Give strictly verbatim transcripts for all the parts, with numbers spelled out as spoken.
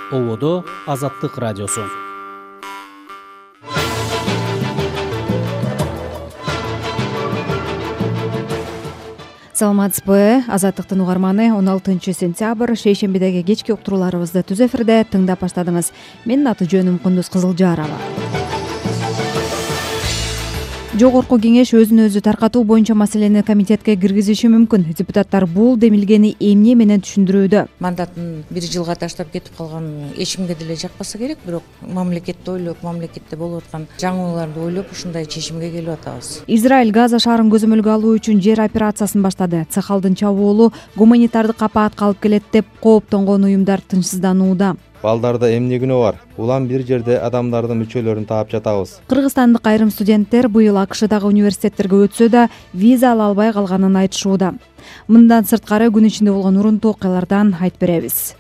Ободо Азаттык радиосу. Саламатсызбы, Азаттыктын угарманы. он алтынчы сентябрь шейшембидеги кечки уктурууларыбызды түз эфирде тыңдап баштадыңыз. Менин аты жөнүм Кундуз Кызылжарова. Жогорку кеңеш өзүн өзү таркатуу боюнча маселени комитетке киргизиши мүмкүн. Депутаттар бул демилгени эмне менен түшүндүрүүдө. Мандатын бир жылга таштап кетип калган эч кимге деле жакпаса керек, бирок мамлекетти ойлоп, мамлекетте болуп аткан жаңылууларды ойлоп ушундай чечимге келип атабыз. Израиль Газа шаарын көзөмөлгө алуу үчүн жер операциясын баштады. Цехалдын чабуулу гуманитардык апаатка алып келет деп кооптонгон уюмдар тынчсызданууда. Балдарда эмне күнөө бар? Улам бир жерде адамдардын мүчөлөрүн таап жатабыз. Кыргызстандык айрым студенттер быйыл АКШдагы университеттерге өтсө да виза ала албай калганын айтышууда. Мындан сырткары күн ичинде болгон урунтуу окуялардан айтып беребиз.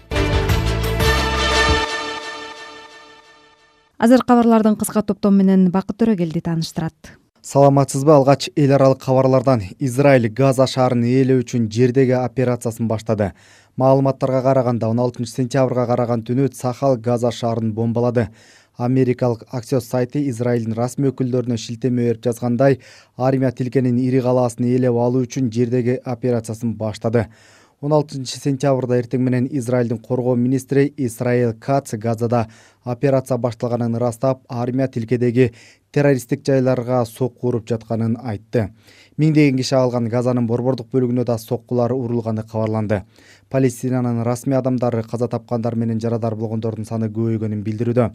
Азыр кабарлардын кыска топтому менен Бакыт Төрөгелди тааныштырат. Саламатсызбы, алгач эл аралык кабарлардан. Израиль Газа шаарын ээлөө үчүн жердеги операциясын баштады. Маалыматтарга караганда он алтынчы сентябрга караган түнү Цахал Газа шаарын бомбалады. Америкалык Axios сайты Израилдин расмий өкүлдөрүнө шилтеме берип жазгандай, армия тилкенин ири калаасын ээлеп алуу үчүн жердеги операциясын баштады. он алтынчы сентябрда эртең менен Израилдин коргоо министри Исраил Кац Газада операция башталганын ырастап, армия тилкедеги террористтик жайларга сокку уруп жатканын айтты. Миңдеген киши алган Газанын борбордук бөлүгүнө да соккулар урулганы кабарланды. Палестинанын расмий адамдары каза тапкандар менен жарадар болгондордун саны көбөйгөнүн билдирүүдө.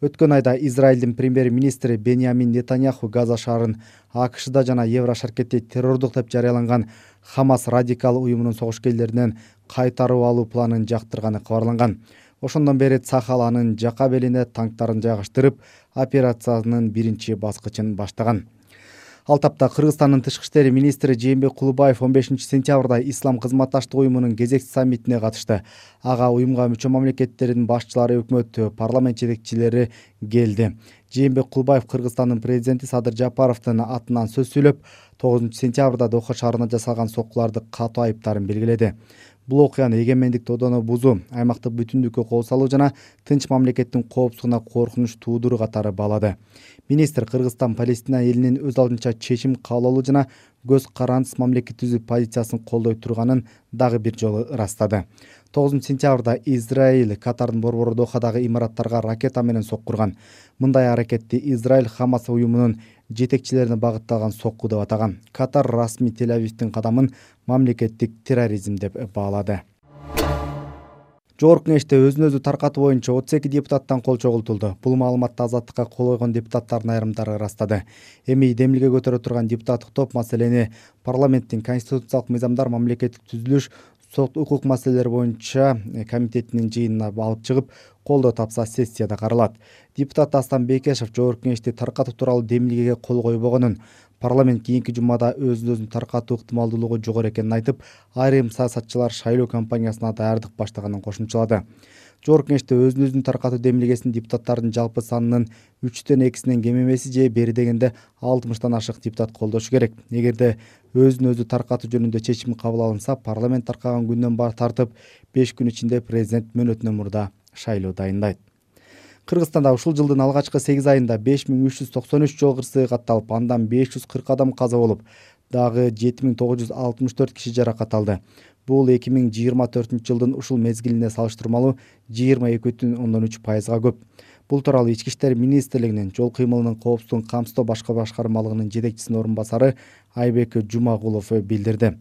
Өткөн айда Израилдин премьер-министри Беньямин Нетаньяху Газа шаарын АКШда жана Еврошаркетте террордук деп жарыяланган Хамас радикал уюмунун согушкерлеринен кайтарып алуу планын жактырганы кабарланган. Ошондон бери Цахал анын жака белине танктарын жайгаштырып, операциянын биринчи баскычын баштаган. Ал тапта Кыргызстандын тышкы иштер министри Жээнбек Кулубаев он бешинчи сентябрда Ислам кызматташтык уюмунун кезекчи саммитине катышты. Ага уюмга мүчө мамлекеттердин башчылары, өкмөт, парламент жетекчилери келди. Жээнбек Кулубаев Кыргызстандын президенти Садыр Жапаровдун атынан сөз сүйлөп, тогузунчу сентябрда Доха шаарына жасалган соккуларды катуу айыптарын белгиледи. Бул окуяны эгемендик тодону бузуу, аймактык бүтүндүккө кол салуу жана тынч мамлекеттин коопсуздугуна коркунуч туудуруу катары баалады. Министр Кыргызстан Палестина элинин өз алдынча чечим кабыл алуу жана көз карандысыз мамлекет түзүү позициясын колдой турганын дагы бир жолу ырастады. тогузунчу сентябрда Израиль Катардын борбору Дохадагы имараттарга ракета менен соккурган. Мындай аракетти Израиль Хамас уюмунун жетекчилерине багытталган сокку деп атаган. Катар расмий Тель-Авивдин кадамын мамлекеттик терроризм деп баалады. Жогорку кеңеште өзүн өзү таркатуу боюнча отуз эки депутаттан кол чогултулду. Бул маалыматты Азаттыкка кол койгон депутаттардын айрымдары ырастады. Эми демилге көтөрө турган депутаттык топ маселени парламенттин конституциялык мыйзамдар, мамлекеттик түзүлүш, сот укук маселелери боюнча комитетинин жыйынына алып чыгып, колдоо тапса сессияда каралат. Депутат Астан Бекешев жогорку кеңешти таркатуу тууралуу демилгеге кол койбогонун, парламент кийинки жумада өзүн өзүн таркатуу ыктымалдуулугу жогору экенин айтып, айрым саясатчылар шайлоо кампаниясына даярдык баштаганын кошумчалады. Жогорку кеңеште өзүн өзүн таркатуу демилгесин депутаттардын жалпы санынын үчтөн экисинен кем эмеси же бери дегенде алтымыштан ашык депутат колдошу керек. Эгерде өзүн өзү таркатуу жөнүндө чечим кабыл алынса, парламент таркаган күндөн тартып беш күн ичинде президент мөөнөтүнөн мурда шайлоо дайындайт. Кыргызстанда ушул жылдын алгачкы сегиз айында беш миң үч жүз токсон үч жол кырсыгы катталып, андан беш жүз кырк адам каза болуп, дагы жети миң тогуз жүз алтымыш төрт киши жаракат алды. Бул эки миң жыйырма төртүнчү жылдын ушул мезгилине салыштырмалуу жыйырма эки бүтүн ондон үч пайызга көп. Бул тууралуу Ички иштер министрлигинин жол кыймылынын коопсуздугун камсыздоо башкы башкармалыгынын жетекчисинин орун басары Айбек Жумагулов билдирди.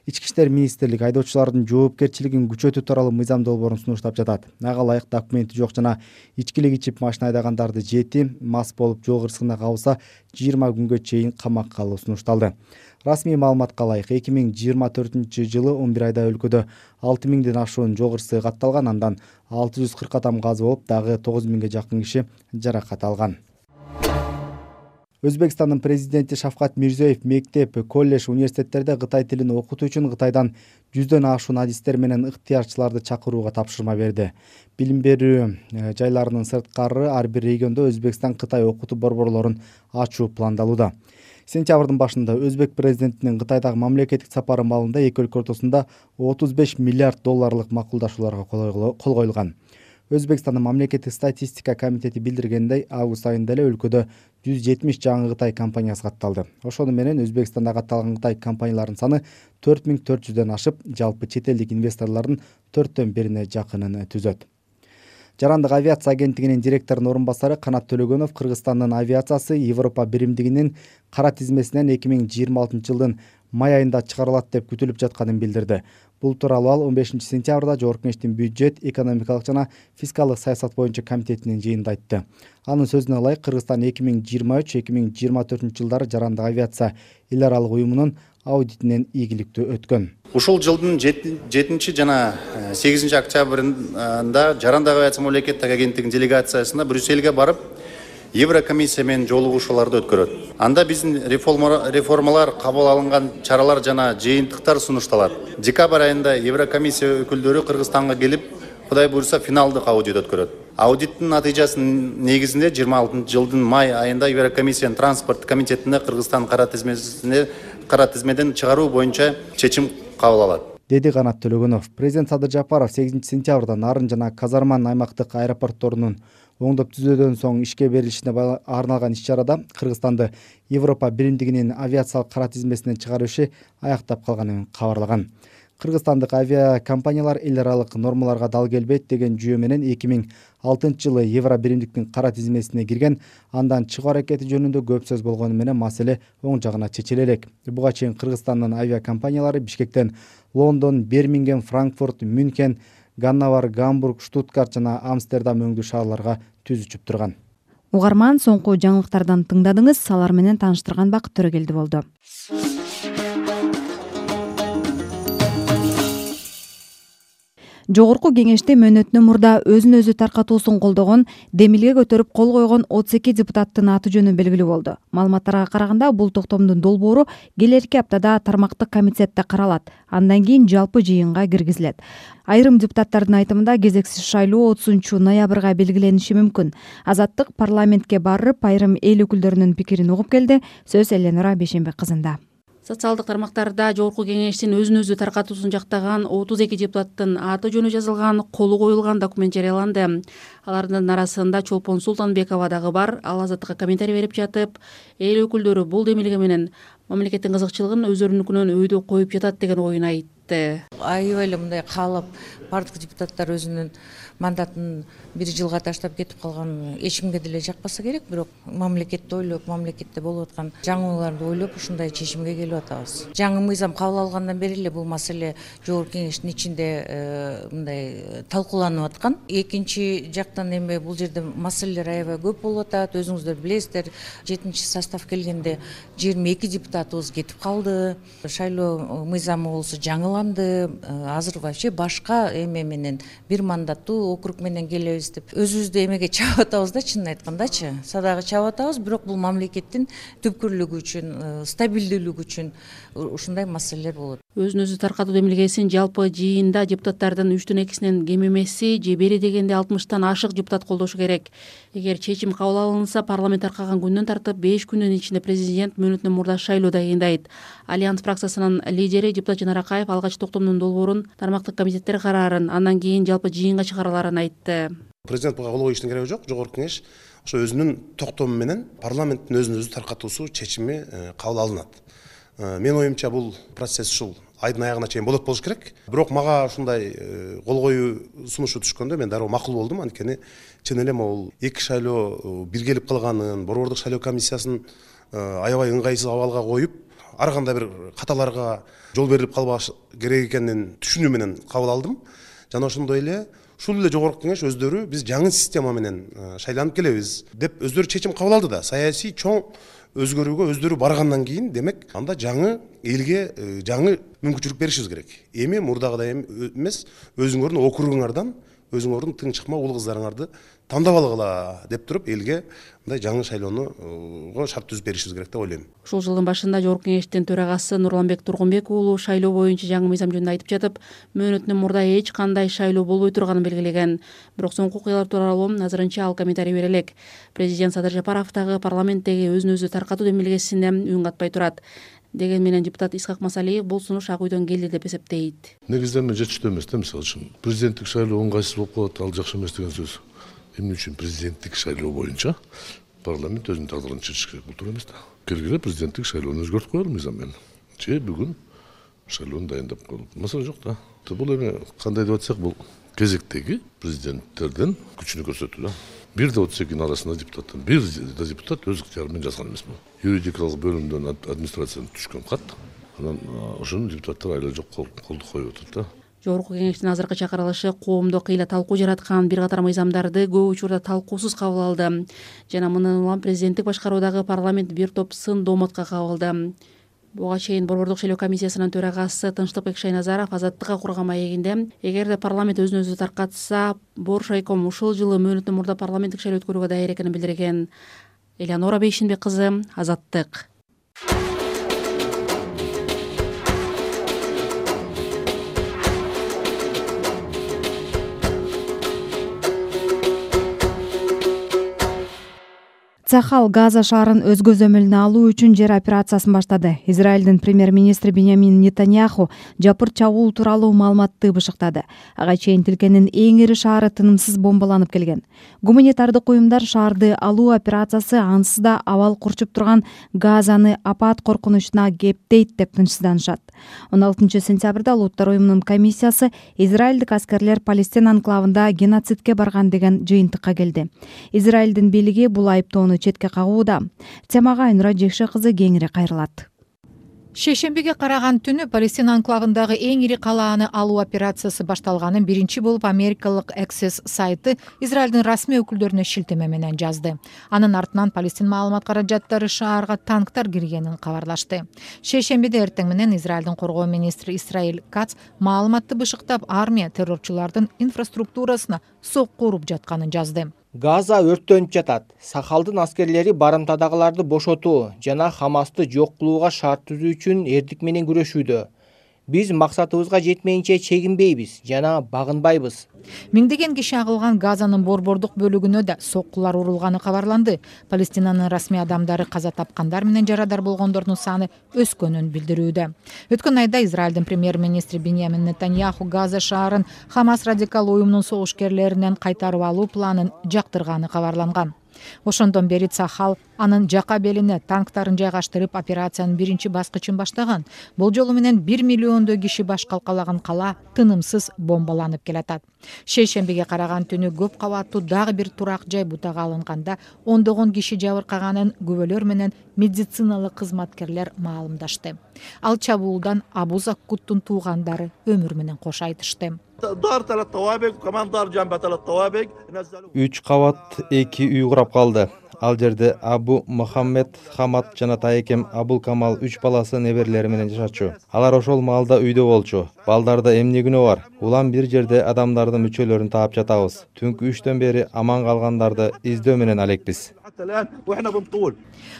Ички иштер министрлиги айдоочулардын жоопкерчилигин күчөтүү тууралуу мыйзам долбоорун сунуштап жатат. Ага ылайык документи жок жана ичкилик ичип машина айдагандарды жети, мас болуп жол кырсыгына кабылса жыйырма күнгө чейин камакка алуу сунушталды. Расмий маалыматка ылайык эки миң жыйырма төртүнчү жылы он бир айда өлкөдө алты миңден ашуун жол кырсыгы катталган, андан алты жүз кырк адам каза болуп, дагы тогуз миңге жакын киши жаракат алган. Өзбекстандын президенти Шавкат Мирзиёев мектеп, колледж, университеттерде Кытай тилин окутуу үчүн Кытайдан жүздөн ашуун адистер менен ыктыярчыларды чакырууга тапшырма берди. Билим берүү жайларынын сырткары ар бир региондо Өзбекстан Кытай окутуу борборлорун ачуу пландалууда. Сентябрдын башында Өзбек президентинин Кытайдагы мамлекеттик сапары маалында эки өлкө ортосунда отуз беш миллиард долларлык макулдашууларга кол коюлган. Өзбекстандын мамлекеттик статистика комитети билдиргендей, август айында эле өлкөдө жүз жетимиш жаңы Кытай компаниясы катталды. Ошону менен Өзбекстанда катталган Кытай компанияларынын саны төрт миң төрт жүздөн ашып, жалпы чет элдик инвесторлордун төрттөн бирине жакынын түзөт. Жарандык авиация агенттигинин директорунун орун басары Канат Төлөгөнов Кыргызстандын авиациясы Европа биримдигинин кара тизмесинен эки миң жыйырма алтынчы жылдын май айында чыгарылат деп күтүлүп жатканын билдирди. Бул тууралуу ал он бешинчи сентябрда Жогорку Кеңештин бюджет, экономикалык жана фискалдык саясат боюнча комитетинин жыйынында айтты. Анын сөзүнө ылайык, Кыргызстан эки миң жыйырма үч эки миң жыйырма төртүнчү жылдары жарандык авиация эл аралык уюмунун аудитинен ийгиликтүү өткөн. Ушул жылдын жетинчи жана сегизинчи октябрында Жарандык авиация мамлекеттик агенттигинин делегациясына Брюссельге барып, Еврокомиссия менен жолугушууларды өткөрөт. Анда биздин реформалар, кабыл алынган чаралар жана жыйынтыктар сунушталат. Декабрь айында Еврокомиссия өкүлдөрү Кыргызстанга келип, Кудай буйрса, финалдык аудит өткөрөт. Аудиттин натыйжасынын негизинде жыйырма алтынчы жылдын май айында Еврокомиссиянын транспорт комитетине Кыргызстан кара тизмесине кара тизмеден чыгаруу боюнча чечим кабыл алат, деди Канат Төлөгөнов. Президент Садыр Жапаров сегизинчи сентябрда Нарын жана Казарман аймактык аэропортторунун оңдоп түзөөдөн соң ишке берилишине арналган иш-чарада Кыргызстанды Европа биримдигинин авиациялык кара тизмесинен чыгаруу иши аяктап калганын кабарлаган. Кыргызстандык авиакомпаниялар эл аралык нормаларга дал келбейт деген жүйө менен эки миң алтынчы жылы Евро биримдиктин кара тизмесине кирген, андан чыгуу аракети жөнүндө көп сөз болгону менен маселе оң жагына чечиле элек. Буга чейин Кыргызстандын авиакомпаниялары Бишкектен Лондон, Бирмингем, Франкфурт, Мюнхен, Ганновер, Гамбург, Штутгарт жана Амстердам өңдүү шаарларга түз учуп турган. Угарман, соңку жаңылыктардан тыңдадыңыз. Алар менен тааныштырган Бакыт Төрөгелди болду. Жогорку Кеңеште мөөнөтүнөн мурда өзүн өзү таркатуусун колдогон, демилге көтөрүп кол койгон отуз эки депутаттын аты жөнү белгилүү болду. Маалыматтарга караганда, бул токтомдун долбоору келерки аптада тармактык комитетте каралат, андан кийин жалпы жыйынга киргизилет. Айрым депутаттардын айтымында кезексиз шайлоо отузунчу ноябрга белгилениши мүмкүн. Азаттык парламентке барып, айрым эл өкүлдөрүнүн пикирин угуп келди. Сөз Эленора Бейшенбек кызында. Социалдык тармактарда Жогорку Кеңештин өзүн өзү таркатуусун жактаган отуз эки депутаттын аты жөнү жазылган, колу коюлган документ жарыяланды. Алардын арасында Чолпон Султанбекова дагы бар. Ал Азаттыкка комментарий берип жатып, эл өкүлдөрү бул демилге менен мамлекеттин кызыкчылыгын өздөрүнүкүнөн өйдө коюп жатат деген оюн айтты. Аябай эле мындай каалап бардык депутаттар өзүнүн мандатын бир жылга таштап кетип калган эч кимге деле жакпаса керек, бирок мамлекетти ойлоп, мамлекетте болуп аткан жаңылууларды ойлоп ушундай чечимге келип атабыз. Жаңы мыйзам кабыл алгандан бери эле бул маселе Жогорку Кеңештин ичинде мындай талкууланып аткан. Экинчи жактан эми бул жерде маселелер аябай көп болуп атат. Өзүңүздөр билесиздер, жетинчи состав келгенде жыйырма эки депутатыбыз кетип калды. Шайлоо мыйзамы болсо жаңыланды. Азыр вообще башка эме менен бир мандаттуу округ менен келебиз деп өзүбүздү эмеге чабып атабыз да, чынын айткандачы. Садагы чабып атабыз, бирок бул мамлекеттин түпкүрлүгү үчүн, стабилдүүлүгү үчүн ушундай маселелер болот. Өзүн өзү таркатуу демилгесин жалпы жыйында депутаттардын үчтөн экисинен кем эмеси же бери дегенде алтымыштан ашык депутат колдошу керек. Эгер чечим кабыл алынса, парламент таркаган күндөн тартып беш күндүн ичинде президент мөөнөтүнөн мурда шайлоо дайындайт. Альянс фракциясынын лидери депутат Жанар Акаев алгач токтомдун долбоорун тармактык комитеттер караарын, андан кийин жалпы жыйынга чыгарыларын айтты. Президент буга кол коюштун кереги жок. Жогорку Кеңеш ошо өзүнүн токтому менен парламенттин өзүн өзү таркатуусу чечими кабыл алынат. Мен оюмча бул процесс ушул айдын аягына чейин болот болуш керек. Бирок мага ушундай кол коюу сунушу түшкөндө мен дароо макул болдум. Анткени чын эле могул эки шайлоо биргелип калганын, борбордук шайлоо комиссиясын аябай ыңгайсыз абалга коюп, ар кандай бир каталарга жол берилип калбаш керек экенин түшүнүү менен кабыл алдым. Жана ошондой эле ушул эле Жогорку Кеңеш өздөрү биз жаңы система менен шайланып келебиз деп өздөрү чечим кабыл алды да. Саясий чоң өзгөрүүгө өздөрү баргандан кийин, демек, анда жаңы элге жаңы мүмкүнчүлүк беришибиз керек. Эми мурдагыдай эмес, өзүңөрдүн округуңардан өзүңөрдүн тың чыкма уул кыздарыңарды тандап алгыла деп туруп элге мындай жаңы шайлоого шарт түзүп беришибиз керек деп ойлойм. Ушул жылдын башында Жогорку Кеңештин төрагасы Нурланбек Тургунбек уулу шайлоо боюнча жаңы мыйзам жөнүндө айтып жатып, мөөнөтүнөн мурда эч кандай шайлоо болбой турганын белгилеген. Бирок соңку окуялар тууралуу азырынча ал комментарий бере элек. Президент Садыр Жапаров дагы парламенттеги өзүн өзү таркатуу демилгесине үн катпай турат. деген менен депутат Исхак Масалиев бул сунуш Ак үйдөн келди деп эсептейт. Негизинен мен жетиштүү эмес да, мисалы үчүн президенттик шайлоо ыңгайсыз болуп калат, ал жакшы эмес деген сөз. Эмне үчүн президенттик шайлоо боюнча парламент өзүнүн тагдырын чечиш керек, бул туура эмес да. Келгиле президенттик шайлоону өзгөртүп коелу мыйзам менен. Же бүгүн шайлоону дайындап коелу. Маселе жок да. Бул эми кандай деп атсак, бул кезектеги президенттердин күчүнү көрсөтүү да. бир да отуз экинин арасында депутаттан бир да депутат өз ыктыяры менен жазган эмес бул. Юридикалык бөлүмдөн администрациядан түшкөн кат. Анан ошону депутаттар айла жок колду коюп отурат да. Жогорку кеңештин азыркы чакырылышы коомдо кыйла талкуу жараткан бир катар мыйзамдарды көп учурда талкуусуз кабыл алды. Жана мындан улам президенттик башкаруудагы парламент бир топ сын домотка кабылды. Буга чейин Борбордук шайлоо комиссиясынын төрагасы Тынчтыкбек Шайназаров Азаттыкка курган маегинде эгерде парламент өзүн өзү таркатса, Боршайком ушул жылы мөөнөттөн мурда парламенттик шайлоо өткөрүүгө даяр экенин билдирген. Элеонора Бейшинбек кызы, Азаттык. Цахал Газа шаарын өз көзөмөлүнө алуу үчүн жер операциясын баштады. Израилдин премьер-министри Беньямин Нетаньяху жапыр чабуул тууралуу маалыматты бышыктады. Ага чейин тилкенин эң ири шаары тынымсыз бомбаланып келген. Гуманитардык уюмдар шаарды алуу операциясы ансыз да абал курчуп турган Газаны апат коркунучуна кептейт деп тынчсызданышат. он алтынчы сентябрда Улуттар уюмунун комиссиясы Израилдик аскерлер Палестина анклавында геноцидке барган деген жыйынтыкка келди. Израилдин бийлиги бул айыптоону четке кагууда. Темага Айнура Жекше кызы кеңири кайрылат. Шейшембиге караган түнү Палестина анклавындагы эң ири калааны алуу операциясы башталганын биринчи болуп америкалык Access сайты Израилдин расмий өкүлдөрүнө шилтеме менен жазды. Анын артынан Палестин маалымат каражаттары шаарга танктар киргенин кабарлашты. Шейшембиде эртең менен Израилдин коргоо министри Исраил Кац маалыматты бышыктап, армия террорчулардын инфраструктурасына сокку уруп жатканын жазды. Газа өрттөнүп жатат. Сахалдын аскерлери барымтадагыларды бошотуу жана Хамасты жок кылууга шарт түзүү үчүн эрдик менен күрөшүүдө. Биз максатыбызга жетмейинче чегинбейбиз жана багынбайбыз. Миңдеген киши агылган Газанын борбордук бөлүгүнө да соккулар урулганы кабарланды. Палестинанын расмий адамдары каза тапкандар менен жарадар болгондордун саны өскөнүн билдирүүдө. Өткөн айда Израилдин премьер-министри Беньямин Нетаньяху Газа шаарын Хамас радикал уюмунун согушкерлеринен кайтарып алуу планын жактырганы кабарланган. Ошондон бери Цахал анын жака белине танктарын жайгаштырып операциянын биринчи баскычын баштаган. Бул жолу менен бир миллиондой киши баш калкалаган кала тынымсыз бомбаланып келатат. Шейшембиге караган түнү көп кабаттуу дагы бир турак жай бутага алынганда ондогон киши жабыркаганын күбөлөр менен медициналык кызматкерлер маалымдашты. Ал чабуулдан Абу Заккуттун туугандары өмүр менен кош айтышты. үч кабат эки үй курап калды. Ал жерде Абу Мухаммед Хамад жана тайекем Абул Камал үч баласы неберелери менен жашачу. Алар ошол маалда үйдө болчу. Балдарда эмне күнөө бар? Улам бир жерде адамдардын мүчөлөрүн таап жатабыз. Түнкү үчтөн бери аман калгандарды издөө менен алекпиз.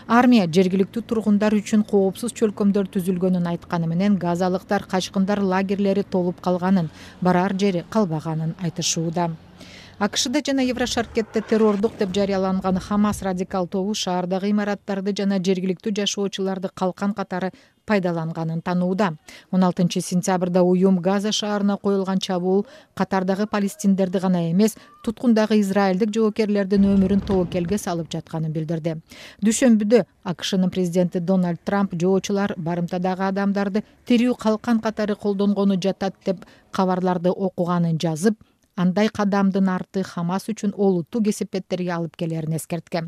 Армия жергиликтүү тургундар үчүн коопсуз чөлкөмдөр түзүлгөнүн айтканы менен газалыктар качкындар лагерлери толуп калганын, барар жери калбаганын айтышууда. АКШда жана Еврошаркетте террордук деп жарыяланган Хамас радикал тобу шаардагы имараттарды жана жергиликтүү жашоочуларды калкан катары пайдаланганын танууда. он алтынчы сентябрда уюм Газа шаарына коюлган чабуул катардагы палестиндерди гана эмес, туткундагы израилдик жоокерлердин өмүрүн тобокелге салып жатканын билдирди. Дүйшөмбүдө АКШнын президенти Дональд Трамп жоочулар барымтадагы адамдарды тирүү калкан катары колдонгону жатат деп кабарларды окуганын жазып, андай кадамдын арты Хамас үчүн олуттуу кесепеттерге алып келерин эскерткен.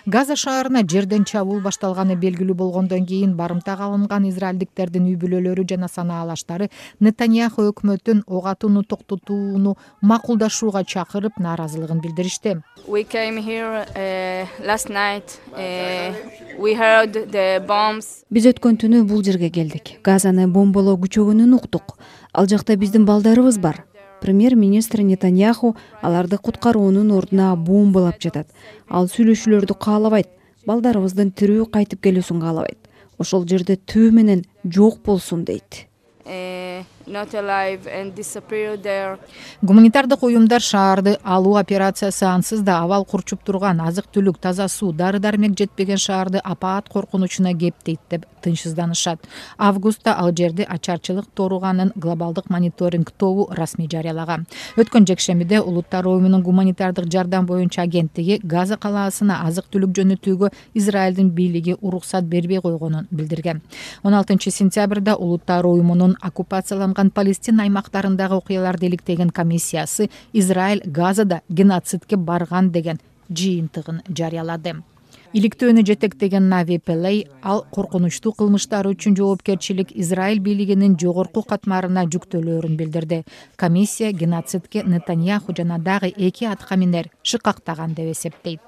Газа шаарына жерден чабуул башталганы белгилүү болгондон кийин барымтага алынган израилдиктердин үй бүлөлөрү жана санаалаштары Нетаньяху өкмөтүн ок атууну токтотууну макулдашууга чакырып нааразылыгын билдиришти. We came here uh, last night. Uh, we heard the bombs. Биз өткөн түнү бул жерге келдик. Газаны бомбалоо күчөгөнүн уктук. Ал жакта биздин балдарыбыз бар. Премьер-министр Нетаньяху аларды куткаруунун ордуна бомбалап жатат. Ал сүйлөшүүлөрдү каалабайт, балдарыбыздын тирүү кайтып келүүсүн каалабайт. Ошол жерде түбү менен жок болсун дейт. Uh, not alive and disappear there. Гуманитардык уюмдар шаарды алуу операциясы ансыз да абал курчуп турган азык түлүк, таза суу, дары дармек жетпеген шаарды апаат коркунучуна кептейт деп тынчсызданышат. Августта ал жерде ачарчылык тууруганын глобалдык мониторинг тобу расмий жарыялаган. Өткөн жекшембиде Улуттар уюмунун гуманитардык жардам боюнча агенттиги Газа калаасына азык түлүк жөнөтүүгө Израилдин бийлиги уруксат бербей койгонун билдирген. он алтынчы сентябрда Улуттар уюмунун оккупацияланган Палестина аймактарындагы окуяларды иликтеген комиссиясы Израиль Газада геноцидке барган деген жыйынтыгын жарыялады. Иликтөөнү жетектеген Нави Пелей ал коркунучтуу кылмыштар үчүн жоопкерчилик Израиль бийлигинин жогорку катмарына жүктөлөөрүн билдирди. Комиссия геноцидке Нетаньяху жана дагы эки аткаминер шыкактаган деп эсептейт.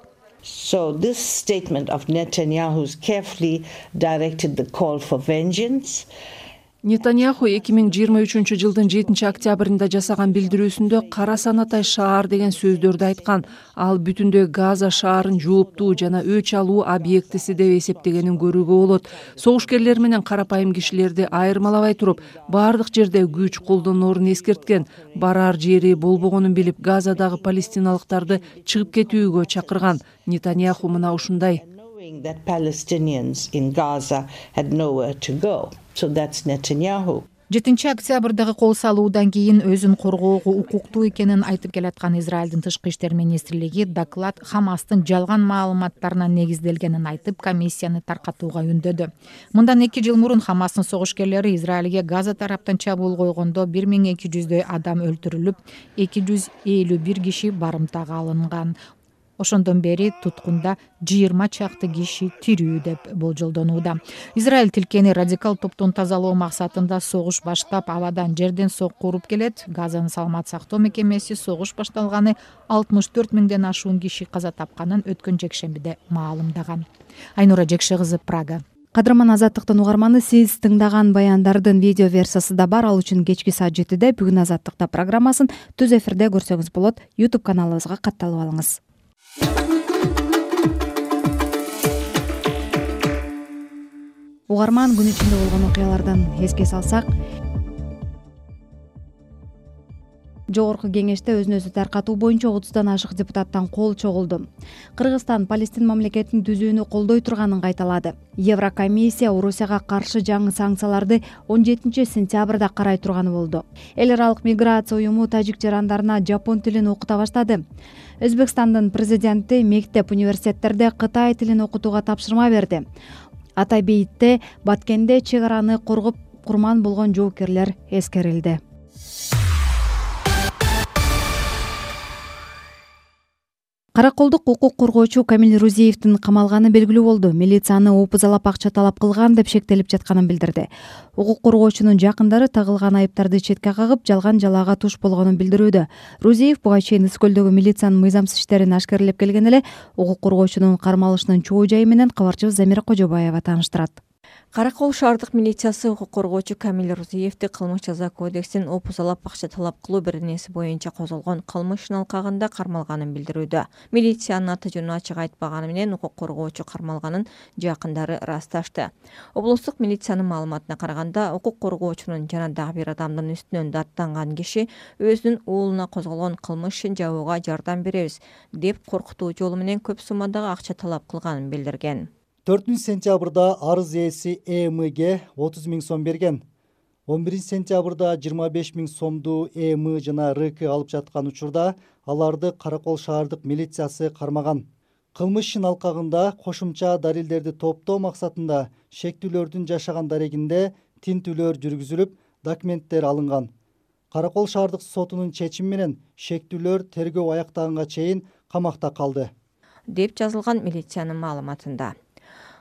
So this statement of Netanyahu's carefully directed the call for vengeance. Нетаньяху эки миң жыйырма үчүнчү жылдын жетинчи октябрында жасаган билдирүүсүндө кара санатай шаар деген сөздөрдү айткан. Ал бүтүндөй Газа шаарын жооптуу жана өч алуу объектиси деп эсептегенин көрүүгө болот. Согушкерлер менен карапайым кишилерди айырмалабай туруп, бардык жерде күч колдоноорун эскерткен. Барар жери болбогонун билип, Газадагы палестиналыктарды чыгып кетүүгө чакырган. Нетаньяху мына ушундай. That Palestinians in Gaza had nowhere to go. So that's Netanyahu. жетинчи октябрдагы кол салуудан кийин өзүн коргоого укуктуу экенин айтып келаткан Израилдин тышкы иштер министрлиги доклад Хамастын жалган маалыматтарына негизделгенин айтып, комиссияны таркатууга үндөдү. Мындан эки жыл мурун Хамастын согушкерлери Израилге Газа тараптан чабуул койгондо бир миң эки жүздөй адам өлтүрүлүп, эки жүз элүү бир киши барымтага алынган. Ошондон бери туткунда жыйырма чакты киши тирүү деп болжолдонууда. Израиль тилкени радикал топтон тазалоо максатында согуш баштап, абадан жерден сокку уруп келет. Газанын саламат сактоо мекемеси согуш башталганы алтымыш төрт миңден ашуун киши каза тапканын өткөн жекшембиде маалымдаган. Айнура Жекше кызы, Прага. Кадырман Азаттыктын угарманы, сиз тыңдаган баяндардын видео версиясы да бар. Ал үчүн кечки саат жетиде бүгүн Азаттыкта программасын түз эфирде көрсөңүз болот. YouTube каналыбызга катталып алыңыз. Угарман, күн ичинде болгон окуялардан эске салсак, Жогорку кеңеште өзүн өзү таркатуу боюнча отуздан ашык депутаттан кол чогулду. Кыргызстан Палестин мамлекетин түзүүнү колдой турганын кайталады. Еврокомиссия Орусияга каршы жаңы санкцияларды он жетинчи сентябрда карай турганы болду. Эл аралык миграция уюму тажик жарандарына жапон тилин окута баштады. Өзбекстандын президенти мектеп, университеттерде Кытай тилин окутууга тапшырма берди. Атайбейтте, Баткенде чек араны коргоп курман болгон жоокерлер эскерилди. Караколдук укук коргоочу Камил Рузиевдин камалганы белгилүү болду. Милицияны опузалап акча талап кылган деп шектелип жатканын билдирди. Укук коргоочунун жакындары тагылган айыптарды четке кагып, жалган жалаага туш болгонун билдирүүдө. Рузиев буга чейин Искөлдөгү милициянын мыйзамсыз иштерин ашкерлеп келген эле, укук коргоочунун кармалышынын чоо жайы менен кабарчыбыз Замира Кожобаева тааныштырат. Каракол шаардык милициясы укук коргоочу Камил Рузиевди кылмыш жаза кодексин опузалап акча талап кылуу беренеси боюнча козголгон кылмыш алкагында кармалганын билдирүүдө. Милициянын аты жөнүн ачык айтпаганы менен укук коргоочу кармалганын жакындары ырасташты. Облустук милициянын маалыматына караганда, укук коргоочунун жана дагы бир адамдын үстүнөн даттанган киши өзүнүн уулуна козголгон кылмышын жабууга жардам беребиз деп коркутуу жолу менен көп суммадагы акча талап кылганын билдирген. төртүнчү сентябрда арыз ээси ЭМге отуз миң сом берген. он биринчи сентябрда жыйырма беш миң сомду ЭМ жана РК алып жаткан учурда аларды Каракол шаардык милициясы кармаган. Кылмыш ишин алкагында кошумча далилдерди топтоо максатында шектүүлөрдүн жашаган дарегинде тинтүүлөр жүргүзүлүп, документтер алынган. Каракол шаардык сотунун чечими менен шектүүлөр тергөө аяктаганга чейин камакта калды деп жазылган милициянын маалыматында.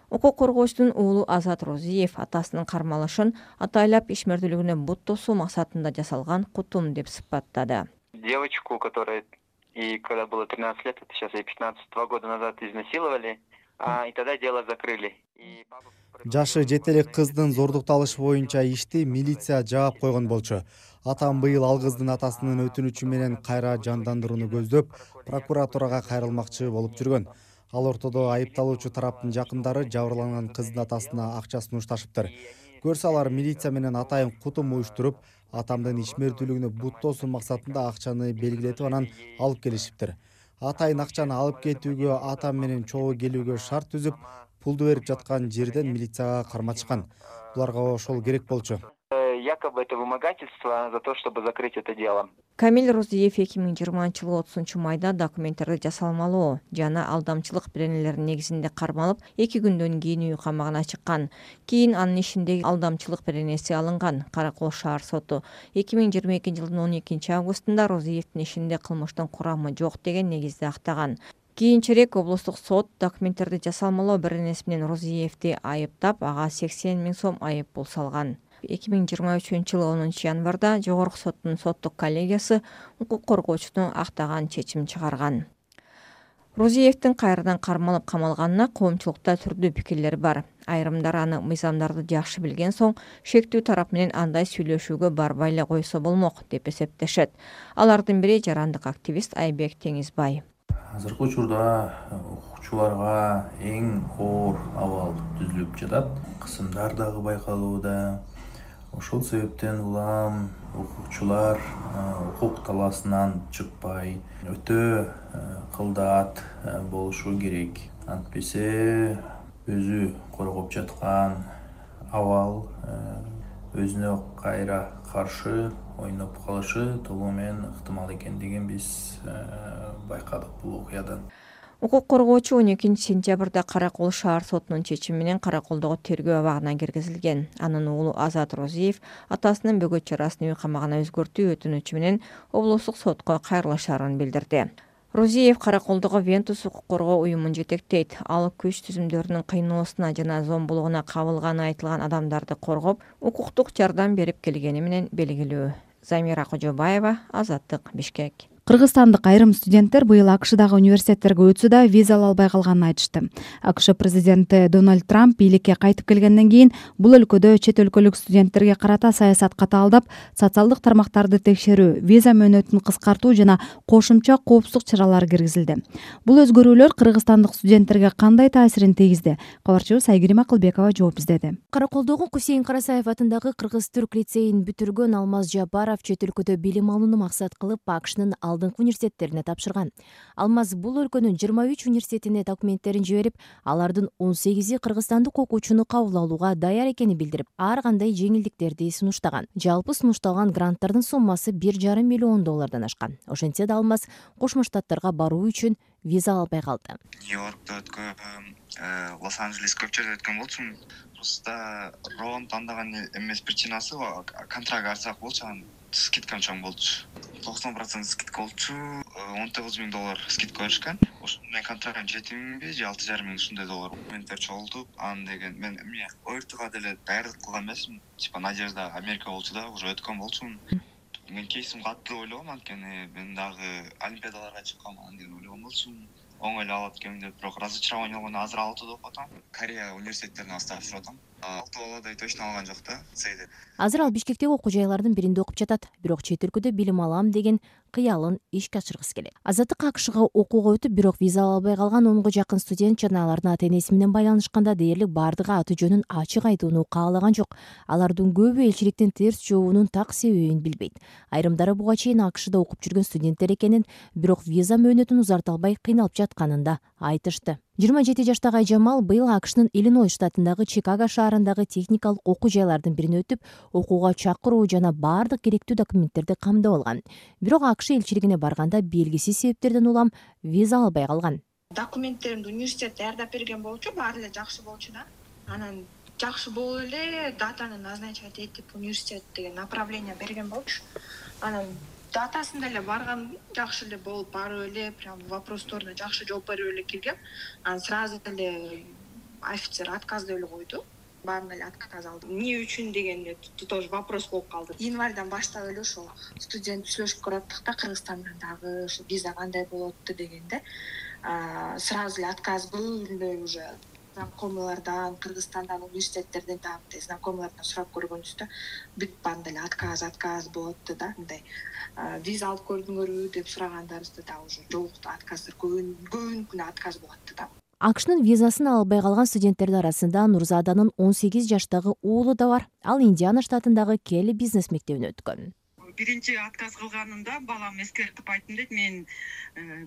Укук коргоочунун уулу Азат Розиев атасынын кармалышын атайлап ишмердүүлүгүнө бут тосуу максатында жасалган кутум деп сыпаттады. Девочку, которая и когда было тринадцать лет, это сейчас ей пятнадцать, два года назад изнасиловали, а, и тогда дело закрыли. Жашы жете элек кыздын зордукталышы боюнча ишти милиция жаап койгон болчу. Атам быйыл ал кыздын атасынын өтүнүчү менен кайра жандандырууну көздөп, прокуратурага кайрылмакчы болуп жүргөн. Ал ортодо айыпталуучу тараптын жакындары жабырланган кыздын атасына акча сунушташыптыр. Көрсө алар милиция менен атайын кутум уюштуруп, атамдын ишмердүүлүгүнө буттоосун максатында акчаны белгилетип анан алып келишиптир. Атайын акчаны алып кетүүгө, атам менен чогуу келүүгө шарт түзүп, пулду берип жаткан жерден милицияга карматышкан. Буларга ошол керек болчу. Якобы это вымогательство за то, чтобы закрыть это дело. Камил Розиев эки миң жыйырманчы жылы отузунчу майда документтерди жасалмалоо жана алдамчылык беренелеринин негизинде кармалып, эки күндөн кийин үй камагына чыккан. Кийин анын ишиндеги алдамчылык беренеси алынган. Каракол шаар соту эки миң жыйырма экинчи жылдын он экинчи августунда Розиевдин ишинде кылмыштын курамы жок деген негизде актаган. Кийинчерээк облустук сот документтерди жасалмалоо беренеси менен Розиевди айыптап, ага сексен миң сом айып пул салган. эки миң жыйырма үчүнчү жылы онунчу январда жогорку соттун соттук коллегиясы укук коргоочуну актаган чечим чыгарган. Розиевдин кайрадан кармалып камалганына коомчулукта түрдүү пикирлер бар. Айрымдар аны мыйзамдарды жакшы билген соң шектүү тарап менен андай сүйлөшүүгө барбай эле койсо болмок деп эсептешет. Алардын бири жарандык активист Айбек Теңизбай. Азыркы учурда укукчуларга эң оор абал түзүлүп жатат. Кысымдар дагы байкалууда. Ошол себептен улам укукчулар укук талаасынан чыкпай, өтө кылдаат болушу керек. Антпесе өзү коргоп жаткан абал өзүнө кайра каршы ойноп калышы толугу менен ыктымал экендигин биз байкадык бул окуядан. Укук коргоочу он экинчи сентябрда Каракол шаар сотунун чечими менен Караколдогу тергөө абагына киргизилген. Анын уулу Азат Розиев атасынын бөгөт чарасын үй камагына өзгөртүү өтүнүчү менен облустук сотко кайрылышарын билдирди. Розиев Караколдогу Вентус укук коргоо уюмун жетектейт. Ал күч түзүмдөрүнүн кыйноосуна жана зомбулугуна кабылганы айтылган адамдарды коргоп, укуктук жардам берип келгени менен белгилүү. Замира Кожобаева, Азаттык, Бишкек. Кыргызстандык айрым студенттер быйыл АКШдагы университеттерге өтсө да виза ала албай калганын айтышты. АКШ президенти Дональд Трамп бийликке кайтып келгенден кийин бул өлкөдө чет өлкөлүк студенттерге карата саясат катаалдап, социалдык тармактарды текшерүү, виза мөөнөтүн кыскартуу жана кошумча коопсуздук чаралары киргизилди. Бул өзгөрүүлөр кыргызстандык студенттерге кандай таасирин тийгизди? Кабарчыбыз Айгерим Акылбекова жооп издеди. Караколдогу Кусейин Карасаев атындагы Кыргыз-Түрк лицейин бүтүргөн Алмаз Жапаров чет өлкөдө билим алууну максат кылып АКШнын алдыңкы университеттерине тапшырган. Алмаз бул өлкөнүн жыйырма үч университетине документтерин жиберип, алардын он сегизи кыргызстандык окуучуну кабыл алууга даяр экенин билдирип, ар кандай жеңилдиктерди сунуштаган. Жалпы сунушталган гранттардын суммасы бир жарым миллион доллардан ашкан. Ошентсе да Алмаз Кошмо Штаттарга баруу үчүн виза албай калды. Нью-Йоркто өткөм, Лос-Анджелес көп жерде өткөн болчумун. Просто Рон тандаган эмес причинасы контракт алсак болчу, скидкам чоң болчу. токсон процент скидка болчу, он тогуз миң доллар скидка беришкен. Ошо мен контрактым жети миңби же алты жарым миң ушундай доллар. Менттер чогултуп, аны деген мен эмне ОРТга деле даярдык кылган эмесмин. Типа Надежда Америка болчу да, уже өткөн болчумун. Мен кейсим катуу ойлогом, анткени мен дагы олимпиадаларга чыккам деген ойлогон болчумун. Оңой эле алат экенмин деп, бирок разочарование болгону азыр алтыда окуп атам. Корея университеттерине асташтырып атам. алты баладай точно алган жок да, сейде. Азыр ал Бишкектеги окуу жайлардын биринде окуп жатат, бирок чет өлкөдө билим алам деген кыялын ишке ашыргысы келет. Азаттык АКШга окууга өтүп, бирок виза ала албай калган онго жакын студент жана алардын ата-энеси менен байланышканда дээрлик бардыгы аты жөнүн ачык айтууну каалаган жок. Алардын көбү элчиликтин терс жообунун так себебин билбейт. Айрымдары буга чейин АКШда окуп жүргөн студенттер экенин, бирок виза мөөнөтүн узарта албай кыйналып жатканын да айтышты. жыйырма жети жаштагы Айжамал быйыл АКШнын Иллинойс штатындагы Чикаго шаарындагы техникалык окуу жайлардын бирине өтүп, окууга чакыруу жана бардык керектүү документтерди камдап алган. Бирок АКШ элчилигине барганда белгисиз себептерден улам виза албай калган. Документтеримди университет даярдап берген болчу, баары эле жакшы болчу да. Анан жакшы болуп эле датаны назначать этип университет деген направление берген болчу. Анан датасында эле барган, жакшы эле болуп барып эле, прям вопросторуна жакшы жооп берип эле киргем. Анан сразу эле офицер отказ деп эле койду. Баарына эле отказ алдым. Эмне үчүн дегенде тоже вопрос болуп калды. Январдан баштап эле ошо студент сүйлөшүп көрөттүк да, Кыргызстандан дагы ошо виза кандай болот дегенде, сразу эле отказ был, уже знакомыйлардан, Кыргызстандан, университеттерден да знакомыйлардан сурап көргөнбүз, бүт банда эле отказ, отказ болот да, мындай виза алып көрдүңөрбү деп сурагандарыбызда да уже жок да, отказдар көбүнкүнө отказ болот да. акшнын визасын ала албай калган студенттердин арасында Нурзаданын он сегиз жаштагы уулу да бар. Ал Индиана штатындагы Келли бизнес мектебине өткөн. Биринчи отказ кылганымда балам эскертип айттым дейт, мен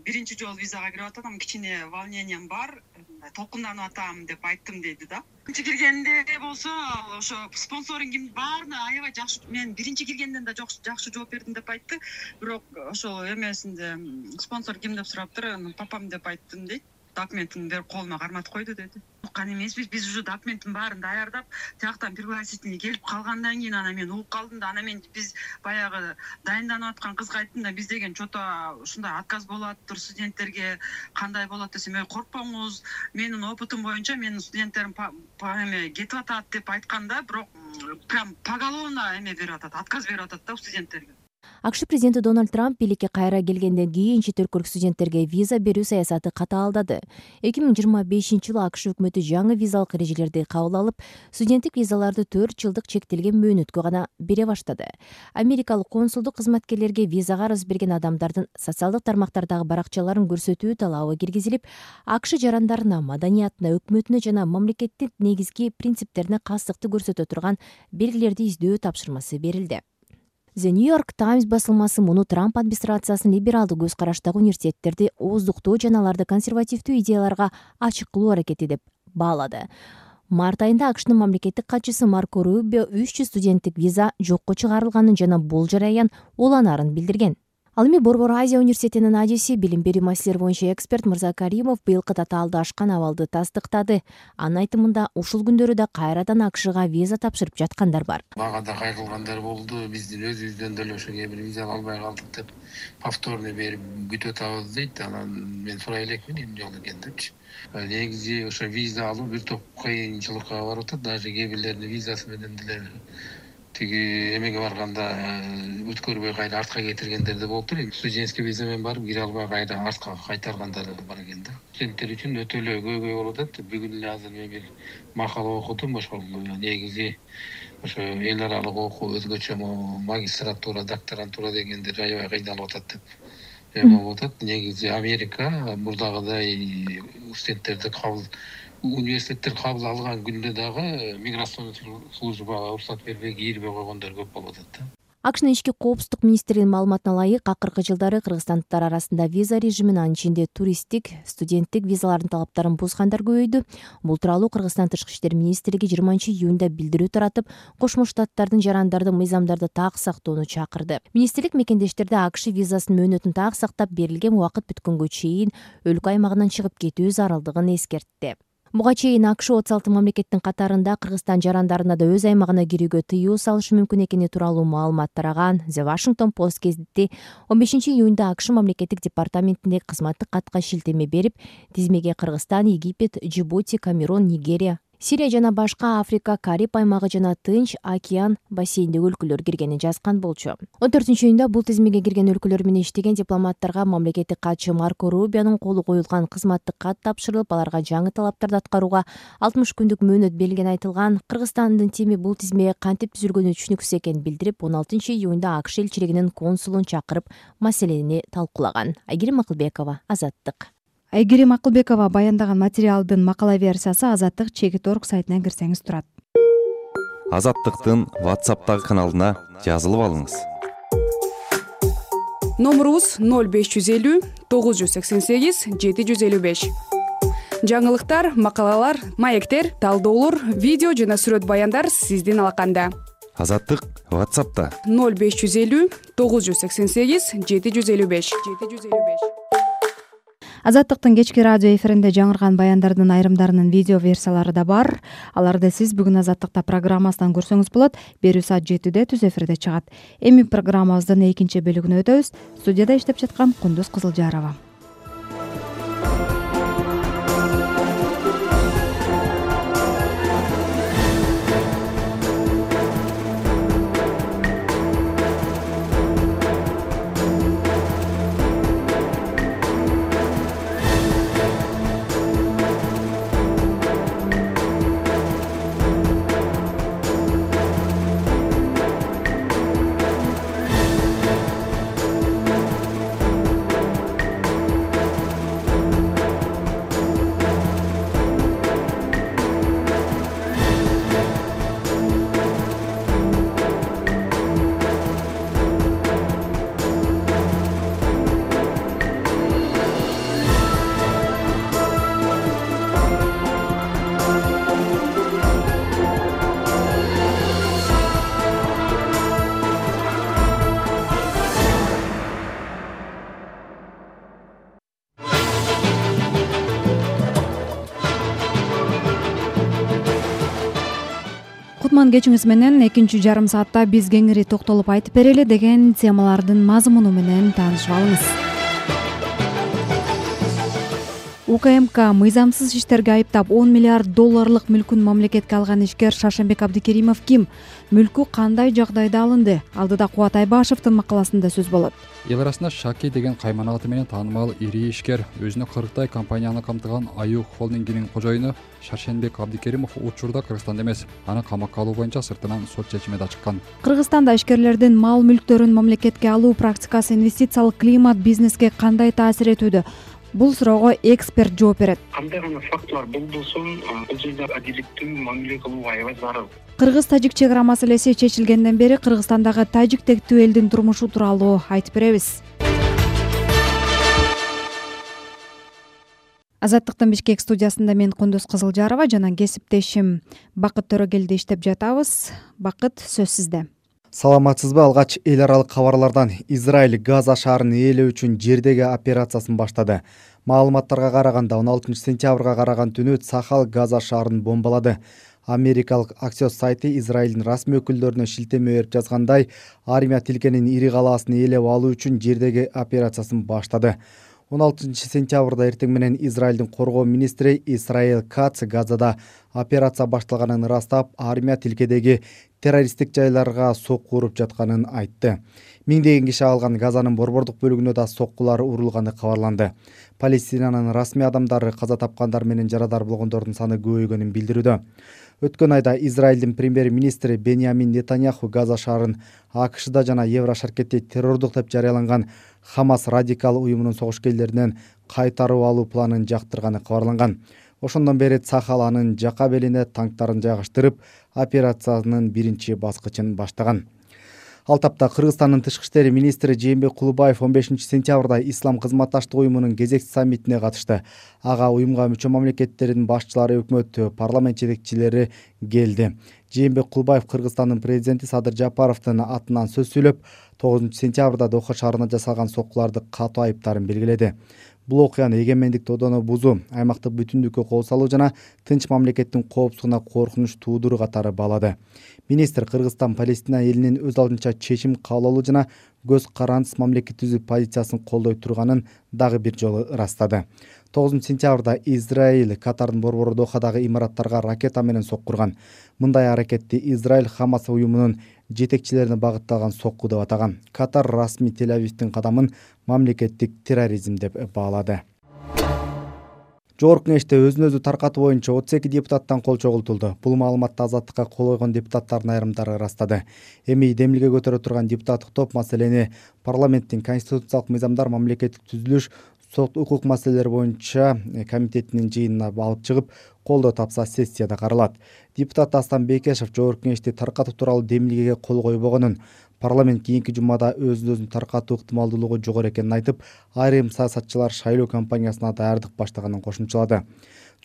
биринчи жолу визага кирип атам, кичине волнением бар, толкунданып атам деп айттым дейди да. Биринчи киргенде болсо ошо спонсорингим баарына аябай жакшы, мен биринчи киргенден да жакшы жооп бердим деп айтты. Бирок ошол эмесинде спонсор ким деп сураптыр, папам деп айттым дейт. Документин берип колума карматып койду деди. Уккан эмеспиз, биз уже документтин баарын даярдап, тияктан пригласительный келип калгандан кийин ана мен угуп калдым да, ана мен биз баягы дайынданып аткан кызга айттым да, биз деген чото ушундай отказ болот, студенттерге кандай болот десем, ой коркпоңуз, менин опытым боюнча менин студенттерим эме кетип атат деп айтканда, бирок прям поголовно эме берип атат, отказ берип атат да студенттерге. акш президенти Дональд Трамп бийликке кайра келгенден кийин чет өлкөлүк студенттерге виза берүү саясаты катаалдады. эки миң жыйырма бешинчи жылы акш өкмөтү жаңы визалык эрежелерди кабыл алып, студенттик визаларды төрт жылдык чектелген мөөнөткө гана бере баштады. Америкалык консулдук кызматкерлерге визага арыз берген адамдардын социалдык тармактардагы баракчаларын көрсөтүү талабы киргизилип, акш жарандарына, маданиятына, өкмөтүнө жана мамлекеттик негизги принциптерине кастыкты көрсөтө турган белгилерди издөө тапшырмасы берилди. The New York Times басылмасы муну Трамп администрациясынын либералдуу көз караштагы университеттерди ооздуктоо жана аларды консервативдүү идеяларга ачык кылуу аракети деп баалады. Март айында акштын мамлекеттик катчысы Марко Рубио үч жүз студенттик виза жокко чыгарылганын жана бул жараян уланаарын билдирген. Ал эми Борбор Азия университетинин адиси, билим берүү маселелери боюнча эксперт Мырза Каримов быйылкы татаалды ашкан абалды тастыктады. Анын айтымында ушул күндөрү да кайрадан акшга виза тапшырып жаткандар бар. Мага да кайгылгандар болду. Биздин өзүбүздөн деле ошо кээ бир виза албай калдык деп повторный берип күтүп атабыз дейт. Анан мен сурай элекмин эмне болду экен депчи. Негизи ошо виза алуу бир топ кыйынчылыкка барып атат. Даже кээ бирлердин визасы менен деле тиги эмеге барганда өткөрбөй кайра артка кетиргендер да болуптур. Студентский виза менен барып кире албай кайра артка кайтаргандар бар экен да. Студенттер үчүн өтө эле көйгөй болуп атат. Бүгүн эле азыр мен бир макала окудум, ошол негизи ошо эл аралык окуу өзгөчө магистратура, докторантура дегендер аябай кыйналып атат деп эме болуп атат. Негизи Америка мурдагыдай студенттерди кабыл университеттер кабыл алган күндө дагы миграционный службага уруксат бербей кирбей койгондор көп болуп атат да. акштын ички коопсуздук министринин маалыматына ылайык, акыркы жылдары кыргызстандыктар арасында виза режимин, анын ичинде туристтик, студенттик визалардын талаптарын бузгандар көбөйдү. Бул тууралуу Кыргызстан тышкы иштер министрлиги жыйырманчы июнда билдирүү таратып, Кошмо Штаттардын жарандарды мыйзамдарды так сактоону чакырды. Министрлик мекендештерде акш визасынын мөөнөтүн так сактап, берилген убакыт бүткөнгө чейин өлкө аймагынан чыгып кетүү зарылдыгын эскертти. Буга чейин акш отуз алты мамлекеттин катарында Кыргызстан жарандарына да өз аймагына кирүүгө тыюу салышы мүмкүн экени тууралуу маалымат тараган The Washington Post гезити он бешинчи июнда акш мамлекеттик департаментиндеги кызматтык катка шилтеме берип, тизмеге Кыргызстан, Египет, Джибути, Камерун, Нигерия, Сирия жана башка Африка, Кариб аймагы жана Тынч океан бассейниндеги өлкөлөр киргенин жазган болчу. он төртүнчү июнда бул тизмеге кирген өлкөлөр менен иштеген дипломаттарга мамлекеттик катчы Марко Рубионун колу коюлган кызматтык кат тапшырылып, аларга жаңы талаптарды аткарууга алтымыш күндүк мөөнөт берилгени айтылган. Кыргызстандын тими бул тизмеге кантип түзүлгөнү түшүнүксүз экенин билдирип, он алтынчы июнда акш элчилигинин консулун чакырып маселени талкуулаган. Айгерим Акылбекова, Азаттык. Айгерим Акылбекова баяндаган материалдын макала версиясы Азаттык чекит точка орг сайтынан кирсеңиз турат. Азаттыктын WhatsApp'тагы каналына жазылып алыңыз. Номурубуз ноль беш жүз элүү тогуз жүз сексен сегиз жети жүз элүү беш. Жаңылыктар, макалалар, маектер, талдоолор, видео жана сүрөт баяндар сиздин алаканда. Азаттык WhatsApp'та ноль беш жүз элүү тогуз жүз сексен сегиз жети жүз элүү беш. Азаттыктын кечки радио эфиринде жаңырган баяндардын айрымдарынын видео версиялары да бар. Аларды сиз бүгүн Азаттыкта программасынан көрсөңүз болот. Берүү саат жетиде түз эфирде чыгат. Эми программабыздын экинчи бөлүгүнө өтөбүз. Студияда иштеп жаткан Кундуз Кызылжарова. кутман кечиңиз менен экинчи жарым саатта биз кеңири токтолуп айтып берели деген темалардын мазмуну менен таанышып алыңыз. УКМК мыйзамсыз иштерге айыптап он миллиард долларлык мүлкүн мамлекетке алган ишкер Шаршембек Абдикеримов ким? Мүлкү кандай жагдайда алынды? Алдыда Кубат Айбашевдин макаласында сөз болот. Эл арасында Шаки деген каймана аты менен таанымал ири ишкер, өзүнө кырктай компанияны камтыган Аюк холдингинин кожоюну Шаршенбек Абдикеримов учурда Кыргызстанда эмес, аны камакка алуу боюнча сыртынан сот чечими да чыккан. Кыргызстанда ишкерлердин мал мүлктөрүн мамлекетке алуу практикасы инвестициялык климат бизнеске кандай таасир этүүдө? Бул суроого эксперт жооп берет. Кандай гана фактылар болбосун, бул жерде адилеттүү мамиле кылууга аябай зарыл. Кыргыз-тажик чек ара маселеси чечилгенден бери Кыргызстандагы тажик тектүү элдин турмушу тууралуу айтып беребиз. Азаттыктын Бишкек студиясында мен Кундуз Кызылжарова жана кесиптешим Бакыт Төрөгелди иштеп жатабыз. Бакыт, сөз сизде. Саламатсызбы? Алгач эл аралык кабарлардан Израиль Газа шаарын ээлөө үчүн жердеги операциясын баштады. Маалыматтарга караганда он алтынчы сентябрга караган түнү Цахал Газа шаарын бомбалады. Америкалык Axios сайты Израилдин расмий өкүлдөрүнө шилтеме берип жазгандай, армия тилкенин ири калаасын ээлеп алуу үчүн жердеги операциясын баштады. он алтынчы сентябрда эртең менен Израилдин коргоо министри Исраил Кац Газада операция башталганын ырастап, армия тилкедеги террористтик жайларга сокку уруп жатканын айтты. Миңдеген киши алган Газанын борбордук бөлүгүнө да соккулар урулганы кабарланды. Палестинанын расмий адамдары каза тапкандар менен жарадар болгондордун саны көбөйгөнүн билдирүүдө. Өткөн айда Израилдин премьер-министри Беньямин Нетаньяху Газа шаарын АКШда жана Еврошаркетте террордук деп жарыяланган Хамас радикал уюмунун согушкерлеринен кайтарып алуу планын жактырганы кабарланган. Ошондон бери Цахал анын жака белине танктарын жайгаштырып, операциянын биринчи баскычын баштаган. Ал тапта Кыргызстандын тышкы иштер министри Жээнбек Кулубаев он бешинчи сентябрда Ислам кызматташтык уюмунун кезекчи саммитине катышты. Ага уюмга мүчө мамлекеттердин башчылары, өкмөт, парламент жетекчилери келди. Жээнбек Кулубаев Кыргызстандын президенти Садыр Жапаровдун атынан сөз сүйлөп, тогузунчу сентябрда Доха шаарына жасалган соккуларды катуу айыптарын белгиледи. Бул окуяны эгемендик тодону бузуу, аймактык бүтүндүккө кол салуу жана тынч мамлекеттин коопсуздугуна коркунуч туудуруу катары баалады. Министр Кыргызстан Палестина элинин өз алдынча чечим кабыл алуу жана көз карандысыз мамлекет түзүү позициясын колдой турганын дагы бир жолу ырастады. тогузунчу сентябрда Израиль Катардын борбору Дохадагы имараттарга ракета менен сокку урган. Мындай аракетти Израиль Хамас уюмунун жетекчилерине багытталган сокку деп атаган. Катар расмий Тель-Авивдин кадамын мамлекеттик терроризм деп баалады. Жогорку Кеңеште өзүн өзү таркатуу боюнча отуз эки депутаттан кол чогултулду. Бул маалыматты Азаттыкка кол койгон депутаттардын айрымдары ырастады. Эми демилге көтөрө турган депутаттык топ маселени парламенттин конституциялык мыйзамдар, мамлекеттик түзүлүш, сот укук маселелери боюнча комитетинин жыйынына алып чыгып, колдоо тапса сессияда каралат. Депутат Астан Бекешев Жогорку Кеңешти таркатуу тууралуу демилгеге кол койбогонун, парламент кийинки жумада өзүн өзүн таркатуу ыктымалдуулугу жогору экенин айтып, айрым саясатчылар шайлоо кампаниясына даярдык баштаганын кошумчалады.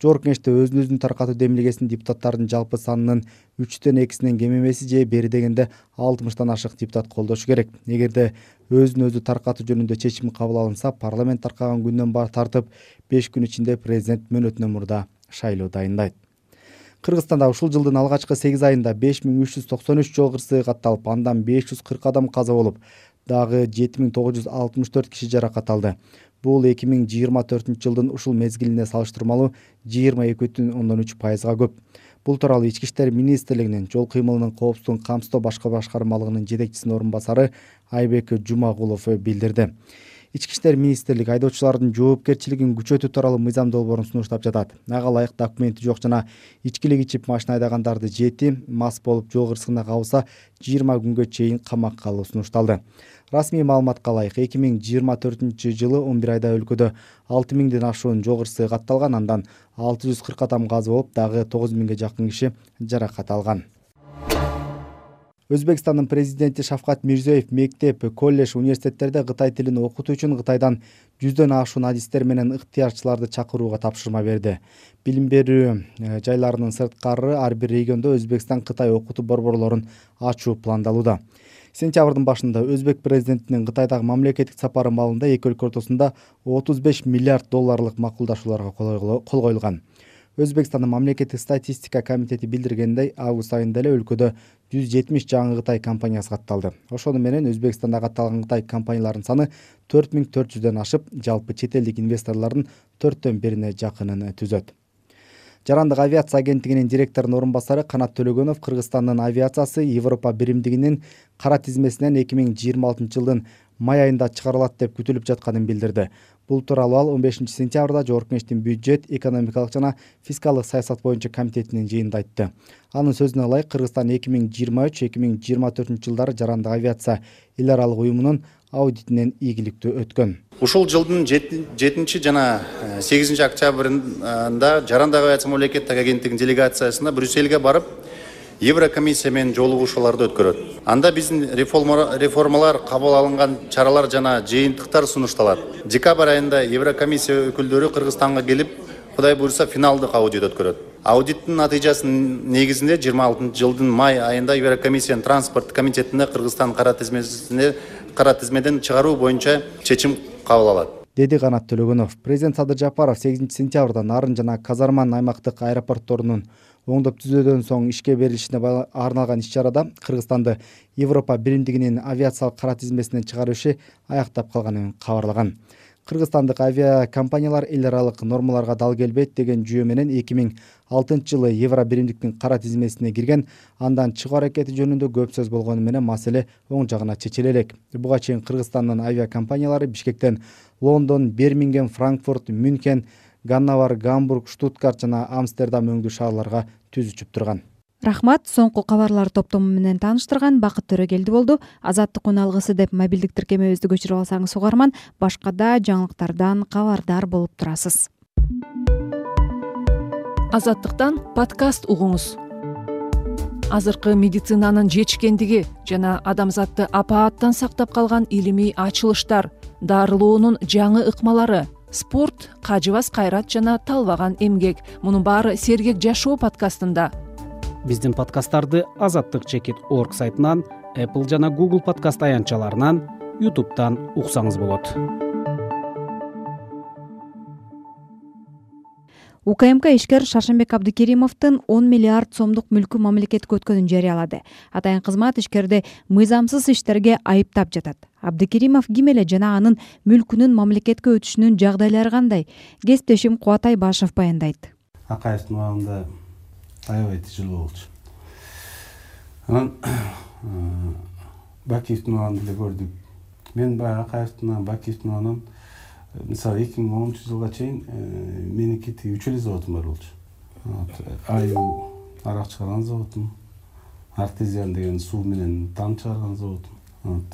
Жогорку Кеңеште өзүн өзүн таркатуу демилгесин депутаттардын жалпы санынын үчтөн экисинен кем эмеси же бери дегенде алтымыштан ашык депутат колдошу керек. Эгерде өзүн өзү таркатуу жөнүндө чечим кабыл алынса, парламент таркаган күндөн баары тартып беш күн ичинде президент мөөнөтүнөн мурда шайлоо дайындайт. Кыргызстанда ушул жылдын алгачкы сегиз айында беш миң үч жүз токсон үч жол кырсыгы катталып, андан беш жүз кырк адам каза болуп, дагы жети миң тогуз жүз алтымыш төрт киши жаракат алды. Бул эки миң жыйырма төртүнчү жылдын ушул мезгилине салыштырмалуу жыйырма эки бүтүн ондон үч пайызга көп. Бул тууралуу Ички иштер министрлигинин жол кыймылынын коопсуздугун камсыздоо башкы башкармалыгынын жетекчисинин орун басары Айбек Жумагулов билдирди. Ички иштер министрлиги айдоочулардын жоопкерчилигин күчөтүү тууралуу мыйзам долбоорун сунуштап жатат. Ага ылайык документи жок жана ичкилик ичип машина айдагандарды жети, мас болуп жол кырсыгына кабылса жыйырма күнгө чейин камакка алуу сунушталды. Расмий маалыматка ылайык эки миң жыйырма төртүнчү жылы он бир айда өлкөдө алты миңден ашуун жол кырсыгы катталган, андан алты жүз кырк адам каза болуп, дагы тогуз миңге жакын киши жаракат алган. Өзбекстандын президенти Шавкат Мирзиёев мектеп, колледж, университеттерде Кытай тилин окутуу үчүн Кытайдан жүздөн ашуун адистер менен ыктыярчыларды чакырууга тапшырма берди. Билим берүү жайларынын сырткары ар бир региондо Өзбекстан Кытай окутуу борборлорун ачуу пландалууда. Сентябрдын башында Өзбек президентинин Кытайдагы мамлекеттик сапары маалында эки өлкө ортосунда отуз беш миллиард долларлык макулдашууларга кол коюлган. Өзбекстандын мамлекеттик статистика комитети билдиргендей, август айында эле өлкөдө жүз жетимиш жаңы Кытай компаниясы катталды. Ошону менен Өзбекстанда катталган Кытай компанияларынын саны төрт миң төрт жүздөн ашып, жалпы чет элдик инвесторлордун төрттөн бирине жакынын түзөт. Жарандык авиация агенттигинин директорунун орун басары Канат Төлөгөнов Кыргызстандын авиациясы Европа биримдигинин кара тизмесинен эки миң жыйырма алтынчы жылдын май айында чыгарылат деп күтүлүп жатканын билдирди. Бул тууралуу ал он бешинчи сентябрда Жогорку Кеңештин бюджет, экономикалык жана фискалдык саясат боюнча комитетинин жыйынында айтты. Анын сөзүнө ылайык, Кыргызстан эки миң жыйырма үч эки миң жыйырма төртүнчү жылдары жарандык авиация эл аралык уюмунун аудитинен ийгиликтүү өткөн. Ушул жылдын жетинчи жана сегизинчи октябрында жарандык авиация мамлекеттик агенттигинин делегациясына Брюссельге барып, Еврокомиссия менен жолугушууларды өткөрөт. Анда биздин реформалар, кабыл алынган чаралар жана жыйынтыктар сунушталат. Декабрь айында Еврокомиссия өкүлдөрү Кыргызстанга келип, Кудай буйрса финалдык аудит өткөрөт. Аудиттин натыйжасынын негизинде жыйырма алтынчы жылдын май айында Еврокомиссиянын транспорт комитетине Кыргызстан кара тизмесине кара тизмеден чыгаруу боюнча чечим кабыл алат, деди Канат Төлөгөнов. Президент Садыр Жапаров сегизинчи сентябрда Нарын жана Казарман аймактык аэропортторунун оңдоп түзөөдөн соң ишке берилишине арналган иш-чарада Кыргызстанды Европа биримдигинин авиациялык кара тизмесинен чыгаруу иши аяктап калганын кабарлаган. Кыргызстандык авиакомпаниялар эл аралык нормаларга дал келбейт деген жүйө менен эки миң алтынчы жылы Евро биримдиктин кара тизмесине кирген, андан чыгуу аракети жөнүндө көп сөз болгону менен маселе оң жагына чечиле элек. Буга чейин Кыргызстандын авиакомпаниялары Бишкектен Лондон, Бирмингем, Франкфурт, Мюнхен, Ганновер, Гамбург, Штутгарт жана Амстердам өңдүү шаарларга түз учуп турган. Рахмат, соңку кабарлар топтому менен тааныштырган Бакыт Төрөгелди болду. Азаттык үн алгысы деп мобилдик тиркемебизди көчүрүп алсаңыз угарман, башка да жаңылыктардан кабардар болуп турасыз. Азаттыктан подкаст угуңуз. Азыркы медицинанын жетишкендиги жана адамзатты апааттан сактап калган илимий ачылыштар, дарылоонун жаңы ыкмалары, спорт, кажыбас кайрат жана талбаган эмгек. Мунун баары Сергек жашоо подкастында. Биздин подкасттарды азаттык чекит орг сайтынан, Apple жана Google подкаст аянтчаларынан, YouTube'дан уксаңыз болот. УКМК ишкер Шаршенбек Абдыкеримовдун он миллиард сомдук мүлкү мамлекетке өткөнүн жарыялады. Атайын кызмат ишкерди мыйзамсыз иштерге айыптап жатат. Абдыкеримов ким эле жана анын мүлкүнүн мамлекетке өтүшүнүн жагдайлары кандай? Кесиптешим Кубатай Башев баяндайт. Акаевдин убагында аябай тяжело болчу. Анан Бакиевдин убагында эле көрдүк. Мен баягы Акаевдин, Бакиевдин убагынан мисалы эки миң онунчу жылга чейин меники тиги үч эле заводум бар болчу. Аю арак чыгарган заводум, Артезиан деген суу менен там чыгарган заводум.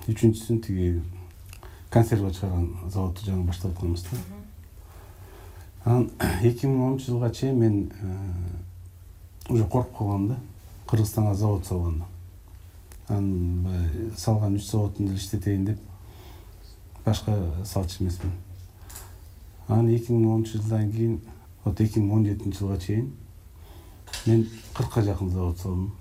Үчүнчүсүн тиги консерва чыгарган заводду жаңы баштап атканбыз да. Анан эки миң онунчу жылга чейин мен уже коркуп калгам да, Кыргызстанга завод салганда. Анан салган үч заводун деле иштетейин деп башка салчу эмесмин. Анан эки миң онунчу жылдан кийин, вот эки миң он жетинчи жылга чейин мен кыркка жакын завод салдым.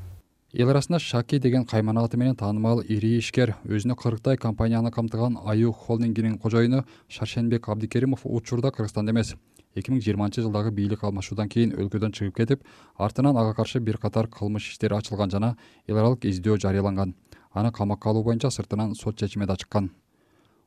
Эл арасында Шаки деген кайман аты менен таанымал ири ишкер, өзүнө кырктай компанияны камтыган Аю холдингинин кожоюну Шаршенбек Абдыкеримов учурда Кыргызстанда эмес, эки миң жыйырманчы жылдагы бийлик алмашуудан кийин өлкөдөн чыгып кетип, артынан ага каршы бир катар кылмыш иштери ачылган жана эл аралык издөө жарыяланган. Аны камакка алуу боюнча сыртынан сот чечими да чыккан.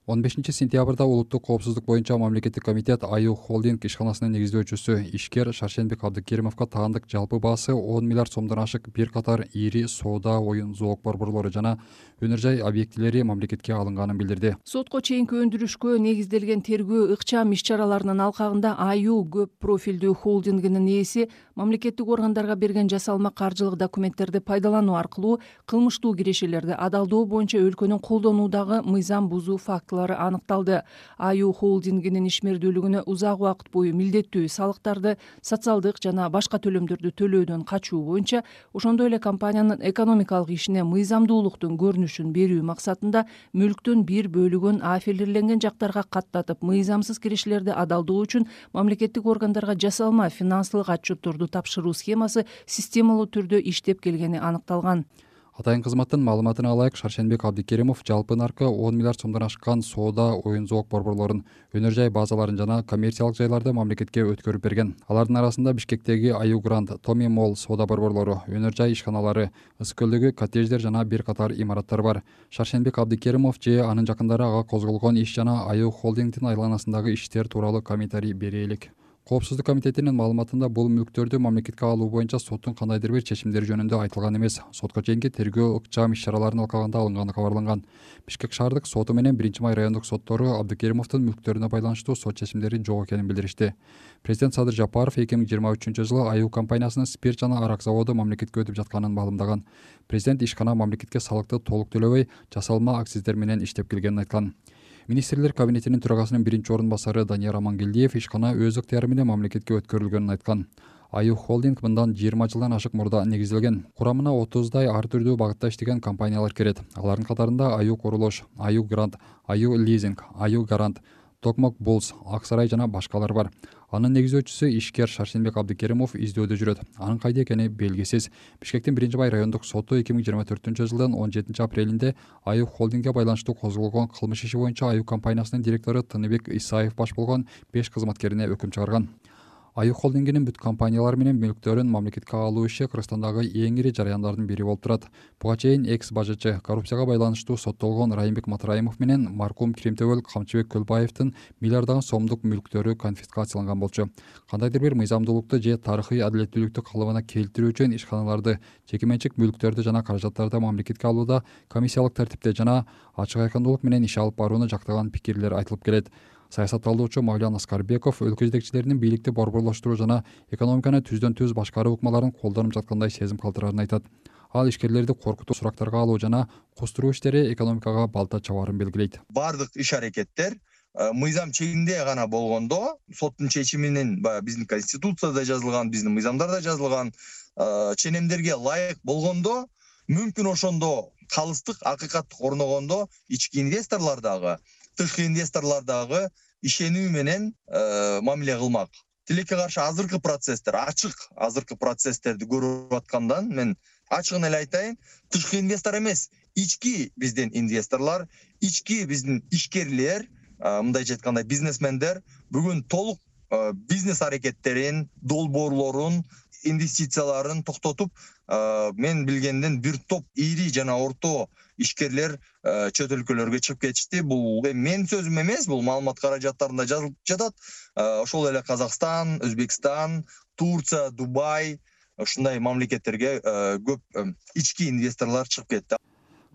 он бешинчи сентябрда улуттук коопсуздук боюнча мамлекеттик комитет Аю холдинг ишканасынын негиздөөчүсү ишкер Шаршенбек Абдыкеримовго таандык жалпы баасы он миллиард сомдон ашык бир катар ири соода, оюн зоок борборлору жана өнөр жай объектилери мамлекетке алынганын билдирди. Сотко чейинки өндүрүшкө негизделген тергөө ыкчам иш-чараларынын алкагында Аю көп профилдүү холдингинин ээси мамлекеттик органдарга берген жасалма каржылык документтерди пайдалануу аркылуу кылмыштуу кирешелерди адалдоо боюнча өлкөнүн колдонуудагы мыйзам бузуу фактылары аныкталды. Аю холдингинин ишмердүүлүгүнө узак убакыт бою милдеттүү салыктарды, социалдык жана башка төлөмдөрдү төлөөдөн качуу боюнча, ошондой эле компаниянын экономикалык ишине мыйзамдуулуктун көрүнүшүн берүү максатында мүлктүн бир бөлүгүн аффилирленген жактарга каттатып, мыйзамсыз кирешелерди адалдоо үчүн мамлекеттик органдарга жасалма финансылык отчетторду тапшыруу схемасы системалуу түрдө иштеп келгени аныкталган. Атайын кызматтын маалыматына алайык, Шаршенбек Абдикеримов жалпы наркы он миллиард сомдон ашкан соода, оюн зоок борборлорун, өнөр жай базаларын жана коммерциялык жайларды мамлекетке өткөрүп берген. Алардын арасында Бишкектеги Аю Гранд, Томи Молл соода борборлору, өнөр жай ишканалары, Ысык көлдөгү коттедждер жана бир катар имараттар бар. Шаршенбек Абдикеримов же анын жакындары ага козголгон иш жана Аю холдингдин айланасындагы иштер тууралуу комментарий бере элек. Коопсуздук комитетинин маалыматында бул мүлктөрдү мамлекетке алуу боюнча соттун кандайдыр бир чечимдери жөнүндө айтылган эмес. Сотко чейинки тергөө ыкчам иш-чараларын алкаганда алынганы кабарланган. Бишкек шаардык соту менен биринчи май райондук соттору Абдикеримовдун мүлктөрүнө байланыштуу сот чечимдери жок экенин билдиришти. Президент Садыр Жапаров эки миң жыйырма үчүнчү жылы Аю компаниясынын спирт жана арак заводу мамлекетке өтүп жатканын маалымдаган. Президент ишкана мамлекетке салыкты толук төлөбөй, жасалма акциздер менен иштеп келгенин айткан. Министрлер кабинетинин төрагасынын биринчи орун басары Данияр Амангелдиев ишкана өз ыктыяры менен мамлекетке өткөрүлгөнүн айткан. Аю холдинг мындан жыйырма жылдан ашык мурда негизделген. Курамына отуздай ар түрдүү багытта иштеген компаниялар кирет. Алардын катарында Аю Курулуш, Аю Грант, Аю Лизинг, Аю Гарант, Токмок Булс, Ак Сарай жана башкалар бар. Анын негизөөчүсү ишкер Шаршенбек Абдикеримов издөөдө жүрөт. Анын кайда экени белгисиз. Бишкектин биринчи май райондук соту эки миң жыйырма төртүнчү жылдын он жетинчи апрелинде Аю холдингге байланыштуу козголгон кылмыш иши боюнча Аю компаниясынын директору Тыныбек Исаев баш болгон беш кызматкерине өкүм чыгарган. Аю холдингинин бүт компаниялары менен мүлктөрүн мамлекетке алуу иши Кыргызстандагы эң ири жарыяндардын бири болуп турат. Буга чейин экс бажычы, коррупцияга байланыштуу соттолгон Райымбек Матраимов менен маркум Киримтөбөл Камчыбек Көлбаевдин миллиарддаган сомдук мүлктөрү конфискацияланган болчу. Кандайдыр бир мыйзамдуулукту же тарыхый адилеттүүлүктү калыбына келтирүү үчүн ишканаларды, жеке менчик мүлктөрдү жана каражаттарды мамлекетке алууда комиссиялык тартипте жана ачык айкындуулук менен иш алып барууну жактаган пикирлер айтылып келет. Саясат талдоочу Мавлян Аскарбеков өлкө жетекчилеринин бийликти борборлоштуруу жана экономиканы түздөн түз башкаруу ыкмаларын колдонуп жаткандай сезим калтырарын айтат. Ал ишкерлерди коркутуу, сурактарга алуу жана кустуруу иштери экономикага балта чабаарын белгилейт. Бардык иш-аракеттер мыйзам чегинде гана болгондо, соттун чечиминин биздин конституцияда жазылган, биздин мыйзамдарда жазылган ченемдерге ылайык болгондо, мүмкүн ошондо калыстык, акыйкаттык орногондо ички инвесторлор дагы, тышкы инвесторлор дагы ишенүү менен мамиле кылмак. Тилекке каршы азыркы процесстер, ачык азыркы процесстерди көрүп аткандан мен ачыгын эле айтайын, тышкы инвестор эмес, ички биздин инвесторлор, ички биздин ишкерлер, мындайча айтканда бизнесмендер бүгүн толук бизнес аракеттерин, долбоорлорун, инвестицияларын токтотуп, мен билгенден бир топ ири жана орто ишкерлер чөт өлкөлөргө чыгып кетишти. Бул мен сөзүм эмес, бул маалымат каражаттарында жазылып жатат. Ошол эле Казакстан, Өзбекстан, Турция, Дубай, ушундай мамлекеттерге көп ички инвесторлор чыгып кетти.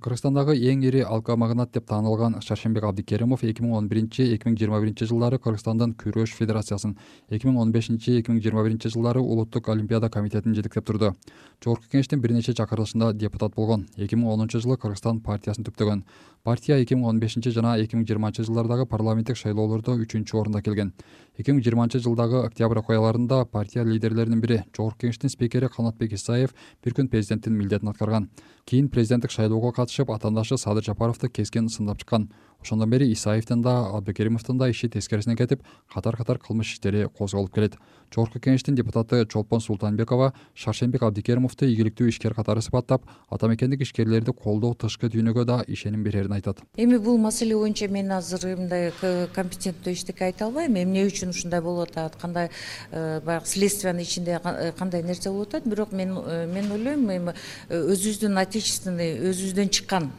Кыргызстандагы эң ири алкомагнат деп таанылган Шаршенбек Абдикеримов эки миң он биринчи — эки миң жыйырма биринчи жылдары Кыргызстандын күрөш федерациясын, эки миң он бешинчи — эки миң жыйырма биринчи жылдары Улуттук олимпиада комитетин жетектеп турду. Жогорку кеңештин бир нече чакырылышында депутат болгон. эки миң онунчу жылы Кыргызстан партиясын түптөгөн. Партия эки миң он бешинчи жана эки миң жыйырманчы жылдардагы парламенттик шайлоолордо үчүнчү орунда келген. эки миң жыйырманчы жылдагы октябрь окуяларында партия лидерлеринин бири, Жогорку кеңештин спикери Канатбек Исаев бир күн президенттин милдетин аткарган. Кийин президенттик шайлоого катышып, атаандашы Садыр Жапаровду keskin сындап чыккан. Ошондон бери Исаевдин да, Абдикеримовдун да иши тескерисине кетип, катар-катар кылмыш иштери козголуп келет. Жогорку кеңештин депутаты Чолпон Султанбекова Шаршенбек Абдикеримовду ийгиликтүү ишкер катары сыпаттап, ата мекендик ишкерлерди колдоо тышкы дүйнөгө да ишеним берерин айтат. Эми бул маселе боюнча мен азыр мындай компетенттүү эчтеке айта албайм. Эмне үчүн ушундай болуп атат, кандай баягы следствиянын ичинде кандай нерсе болуп атат, бирок мен мен ойлойм, эми өзүбүздүн отечественный, өзүбүздөн чыккан,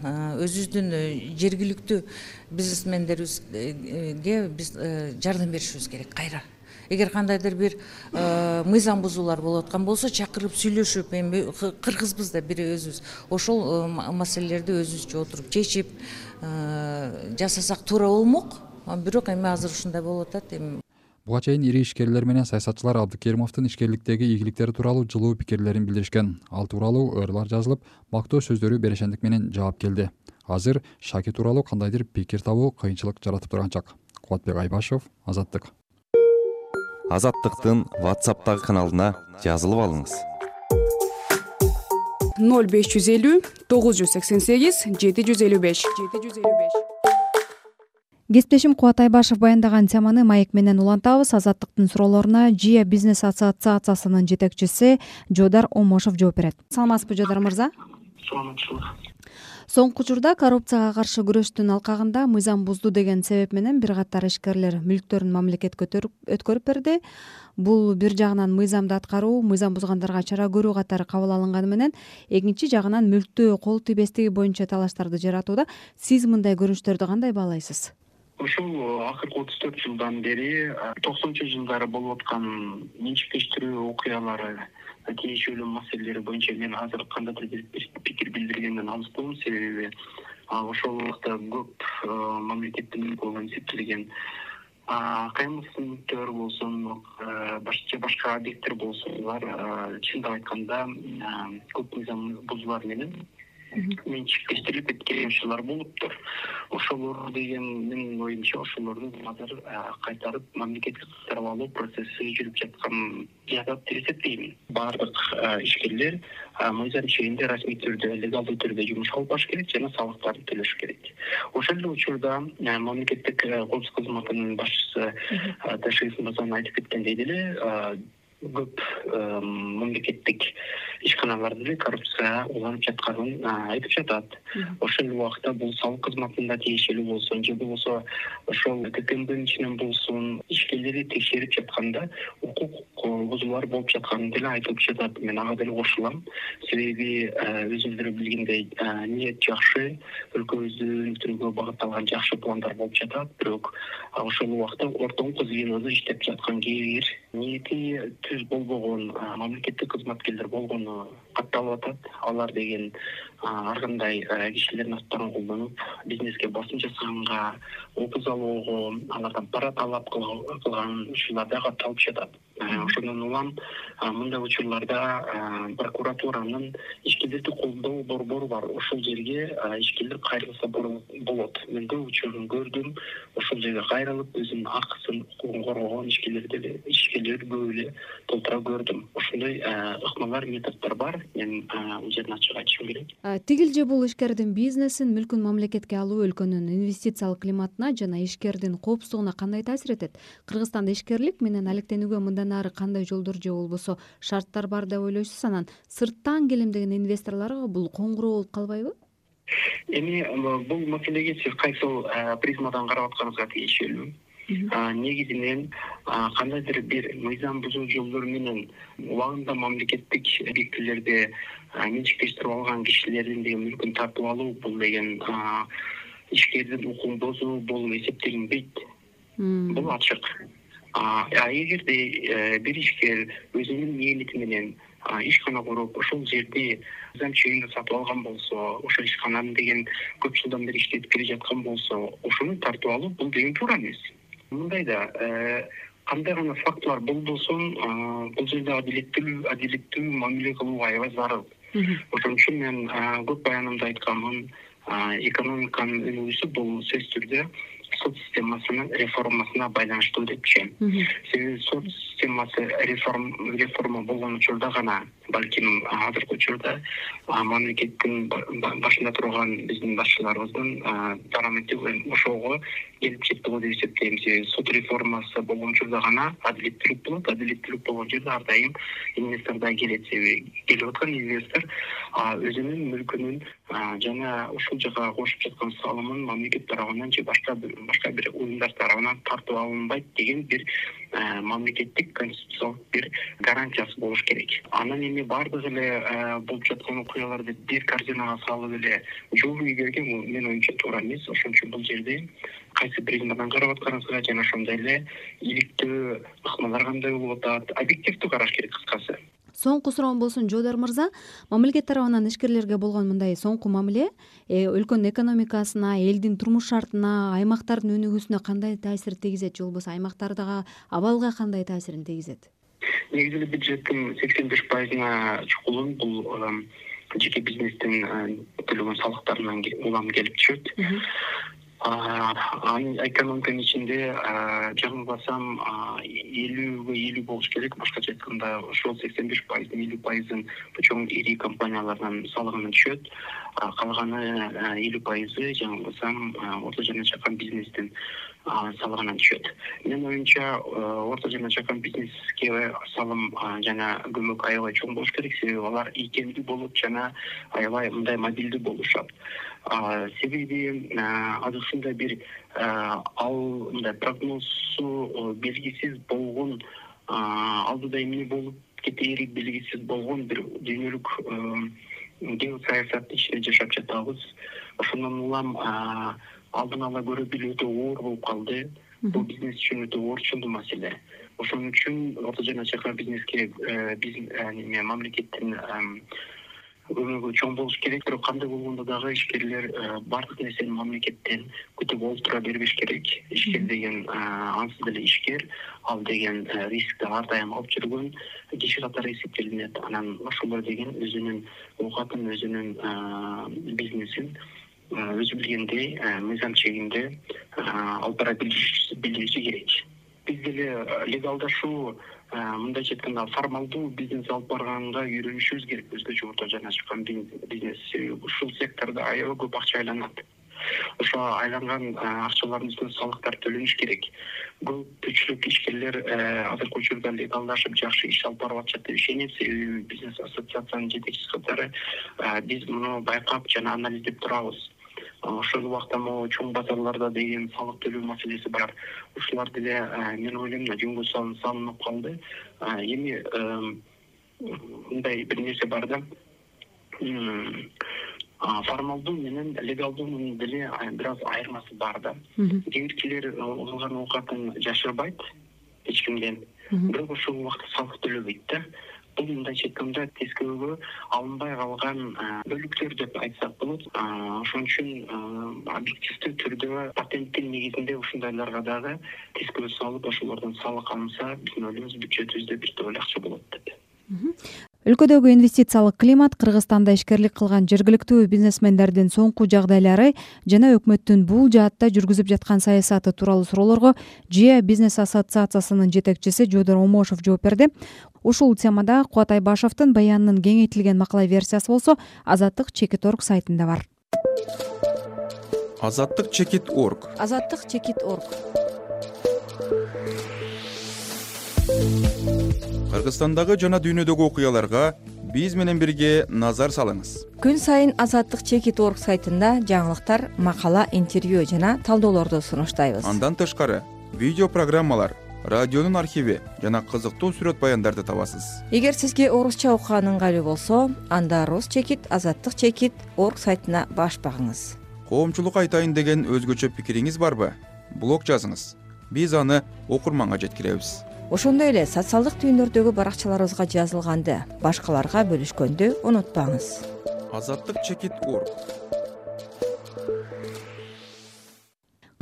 өзүбүздүн жергиликтүү бизнесмендерибизге биз жардам беришибиз керек кайра. Эгер кандайдыр бир мыйзам бузуулар болуп аткан болсо, чакырып сүйлөшүп, эми кыргызбыз да бири өзүбүз, ошол маселелерди өзүбүзчө отуруп чечип жасасак туура болмок. Бирок эми азыр ушундай болуп атат. Эми буга чейин ири ишкерлер менен саясатчылар Абдикеримовдун ишкерликтеги ийгиликтери тууралуу жылуу пикирлерин билдиришкен. Ал тууралуу ырлар жазылып, мактоо сөздөрү берешендик менен жаап келди. Азыр Шаки тууралуу кандайдыр пикир табуу кыйынчылык жаратып турган чак. Кубатбек Айбашев, Азаттык. Азаттыктын WhatsApp'тагы каналына жазылып алыңыз. ноль беш жүз элүү тогуз жүз сексен сегиз жети жүз элүү беш. Кесиптешим Кубат Айбашев баяндаган теманы маек менен улантабыз. Азаттыктын суроолоруна Жия бизнес ассоциациясынын жетекчиси Жодар Омошов жооп берет. Саламатсызбы, Жодар мырза? саламатчылык. Соңку учурда коррупцияга каршы күрөштүн алкагында мыйзам бузду деген себеп менен бир катар ишкерлер мүлктөрүн мамлекетке өткөрүп берди. Бул бир жагынан мыйзамды аткаруу, мыйзам бузгандарга чара көрүү катары кабыл алынганы менен, экинчи жагынан мүлктү кол тийбестиги боюнча талаштарды жаратууда. Сиз мындай көрүнүштөрдү кандай баалайсыз? Ушул акыркы отуз төрт жылдан бери токсонунчу жылдары болуп аткан менчиктештирүү окуялары, тиешелүү маселелери боюнча мен азыр кандайдыр бир пикир билдиргенден алыстамын. Себеби ошол убакта көп мамлекеттин колунан эсептелген каймсыздыктар болсун, башка башка объекттер болсун, булар чындап айтканда көп мыйзам бузуулар менен менчиктештирилип кеткен ишler болуптур. Ошолор деген менин оюмча ошолорду азыр кайтарып мамлекетке кайтарып алуу процесси жүрүп жаткан жатат деп эсептеймин. Бардык ишкерлер мыйзам чегинде расмий түрдө, легалдуу түрдө жумуш алып баш керек жана салыктарды төлөш керек. Ошол эле учурда мамлекеттик коопсуздук кызматынын башчысы Ташкент Мырзанын айтып кеткендей деле көп мамлекеттик ишканаларда деле коррупция уланып жатканын айтып жатат. Ошол убакта бул салык кызматында тиешелүү болсун, же болбосо ошол ККМдын ичинен болсун, ишкерлерди текшерип жатканда укук бузуулар болуп жатканы деле айтылып жатат. Мен ага деле кошулам. Себеби өзүңүздөр билгендей, ниет жакшы, өлкөбүздү өнүктүрүүгө багытталган жакшы пландар болуп жатат. Бирок ошол убакта ортоңку звенодо иштеп жаткан кээ бир ниети түз болбогон мамлекеттик кызматкерлер болгону катталып атат. Алар деген ар кандай кишилердин аттарын колдонуп, бизнеске басым жасаганга, опуз алууга, алардан пара талап кылган ушулар да катталып жатат. Ошондон улам мындай учурларда прокуратуранын ишкерлерди колдоо борбору бар. Ошол жерге ишкерлер кайрылса болот. Мен көп учурун көрдүм. Ошол жерге кайрылып, өзүнүн акысын, укугун коргогон ишкерлерди ишкерлерди көп эле толтура көрдүм. Ошондой ыкмалар, методдор бар. Мен бул жерден ачык айтышым керек. Тигил же бул ишкердин бизнесин, мүлкүн мамлекетке алуу өлкөнүн инвестициялык климатына жана ишкердин коопсуздугуна кандай таасир этет? Кыргызстанда ишкерлик менен алектенүүгө мындан ары кандай жолдор же болбосо шарттар бар деп ойлойсуз? Анан сырттан келем деген инвесторлорго бул коңгуроо болуп калбайбы? Эми бул маселеге сиз кайсыл призмадан карап атканыңызга тиешелүү. Негизинен кандайдыр бир мыйзам бузуу жолдору менен убагында мамлекеттик объектилерди менчиктештирип алган кишилердин деген мүлкүн тартып алуу, бул деген ишкердин укугун бузуу болуп эсептелинбейт. Бул ачык. А эгерде бир ишкер өзүнүн ниети менен ишкана куруп, ошол жерди мыйзам чегинде сатып алган болсо, ошол ишкананы деген көп жылдан бери иштетип келе жаткан болсо, ошону тартып алуу бул деген туура эмес. Мындайда кандай гана фактылар болбосун, бул жерде адилеттүү адилеттүү мамиле кылуу аябай зарыл. Ошон үчүн мен көп баянымда айтканмын, экономиканын өнүгүүсү бул сөзсүз түрдө сот системасынын реформасына байланыштуу деп түшүнөм. Себеби сот системасы реформа реформа болгон учурда гана балким азыркы учурда мамлекеттин башында турган биздин башчыларыбыздын дарамети ошого келип жетти го деп эсептейм. Себеби сот реформасы болгон учурда гана адилеттүүлүк болот. Адилеттүүлүк болгон жерде ар дайым инвестор да келет. Себеби келип аткан инвестор өзүнүн мүлкүнүн жана ушул жака кошуп жаткан салымын мамлекет тарабынан же башка башка бир уюмдар тарабынан тартып алынбайт деген бир мамлекеттик конституциялык бир гарантиясы болуш керек. Анан эми бардык эле болуп жаткан окуяларды бир корзинага салып эле жол ийгерген менин оюмча туура эмес. Ошон үчүн бул жерде кайсы призмадан карап атканыңызга жана ошондой эле иликтүү ыкмалар кандай болуп атат, объективдүү караш керек кыскасы. Соңку суроом болсун, Жодар мырза, мамлекет тарабынан ишкерлерге болгон мындай соңку мамиле өлкөнүн экономикасына, элдин турмуш шартына, аймактардын өнүгүүсүнө кандай таасир тийгизет, же болбосо аймактардагы абалга кандай таасирин тийгизет? Негизи эле бюджеттин сексен беш пайызына чукулун бул жеке бизнестин төлөгөн салыктарынан улам келип түшөт. Экономиканын ичинде жаңылбасам элүүгө элүү болуш керек. Башкача айтканда ошол сексен беш пайыздын элүү пайызын чоң ири компаниялардан салыгынан түшөт. Калганы элүү пайызы жаңылбасам орто жана чакан бизнестин салыгынан түшөт. Менин оюмча орто жана чакан бизнеске салым жана көмөк аябай чоң болуш керек, себеби алар ийкемдүү болуп жана аябай мындай мобилдүү болушат. Себеби азыркында бир ал мындай прогнозу белгисиз болгон, алдыда эмне болуп кетери белгисиз болгон бир дүйнөлүк геосаясаттын ичинде жашап жатабыз. Ошондон улам алдын ала көрө билүү өтө оор болуп калды. Бул бизнес үчүн өтө орчундуу маселе. Ошон үчүн орто жана чакан бизнеске биз мамлекеттин көмөгү чоң болуш керек. Бирок кандай болгондо дагы ишкерлер бардык нерсени мамлекеттен күтүп олтура бербеш керек. Ишкер деген ансыз деле ишкер, ал деген рискти ар дайым алып жүргөн киши катары эсептелинет. Анан ошолор деген өзүнүн оокатын, өзүнүн бизнесин өзү билгендей мыйзам чегинде алып бара билиши керек. Биз деле легалдашуу, мындайча айтканда формалдуу бизнес алып барганга үйрөнүшүбүз керек. Өзгөчө орто жана чакан бизнес, ушул сектордо аябай көп акча айланат. Ошо айланган акчалардын үстүнө салыктар төлөнүш керек. Көпчүлүк ишкерлер азыркы учурда легалдашып жакшы иш алып барып атышат деп ишенем, себеби бизнес ассоциациянын жетекчиси катары биз муну байкап жана анализдеп турабыз. Ошол убакта могу чоң базарларда деген салык төлөө маселеси бар. Ушулар деле мен ойлойм жөнгө салынып калды. Эми мындай бир нерсе бар да. Формалдуу менен легалдуунун деле бир аз айырмасы бар да. Кээ биркилер алган оокатын жашырбайт эч кимден, бирок ошол убакта салык төлөбөйт да. Бул мындайча айтканда тескөөгө алынбай калган бөлүктөр деп айтсак болот. Ошон үчүн объективдүү түрдө патенттин негизинде ушундайларга дагы тескөө салып, ошолордон салык алынса, биздин ойлойбуз бюджетибизде бир топ эле акча болот деп. Өлкөдөгү инвестициялык климат, Кыргызстанда ишкерлик кылган жергиликтүү бизнесмендердин соңку жагдайлары жана өкмөттүн бул жаатта жүргүзүп жаткан саясаты тууралуу суроолорго ЖИА бизнес ассоциациясынын жетекчиси Жодор Омошов жооп берди. Ушул темада Кубат Айбашевдин баянынын кеңейтилген макала версиясы болсо азаттык чекит орг сайтында бар. азаттык чекит орг. азаттык чекит орг. Кыргызстандагы жана дүйнөдөгү окуяларга биз менен бирге назар салыңыз. Күн сайын азаттык чекит орг сайтында жаңылыктар, макала, интервью жана талдоолорду сунуштайбыз. Андан тышкары видео программалар, радионун архиви жана кызыктуу сүрөт баяндарды табасыз. Эгер сизге орусча окуган ыңгайлуу болсо, анда рус чекит, азаттык чекит орг сайтына баш багыңыз. Коомчулукка айтайын деген өзгөчө пикириңиз барбы? Блог жазыңыз. Биз аны окурманга жеткиребиз. Ошондой эле социалдык түйүндөрдөгү баракчаларыбызга жазылганды башкаларга бөлүшкөндү унутпаңыз. азаттык чекит орг.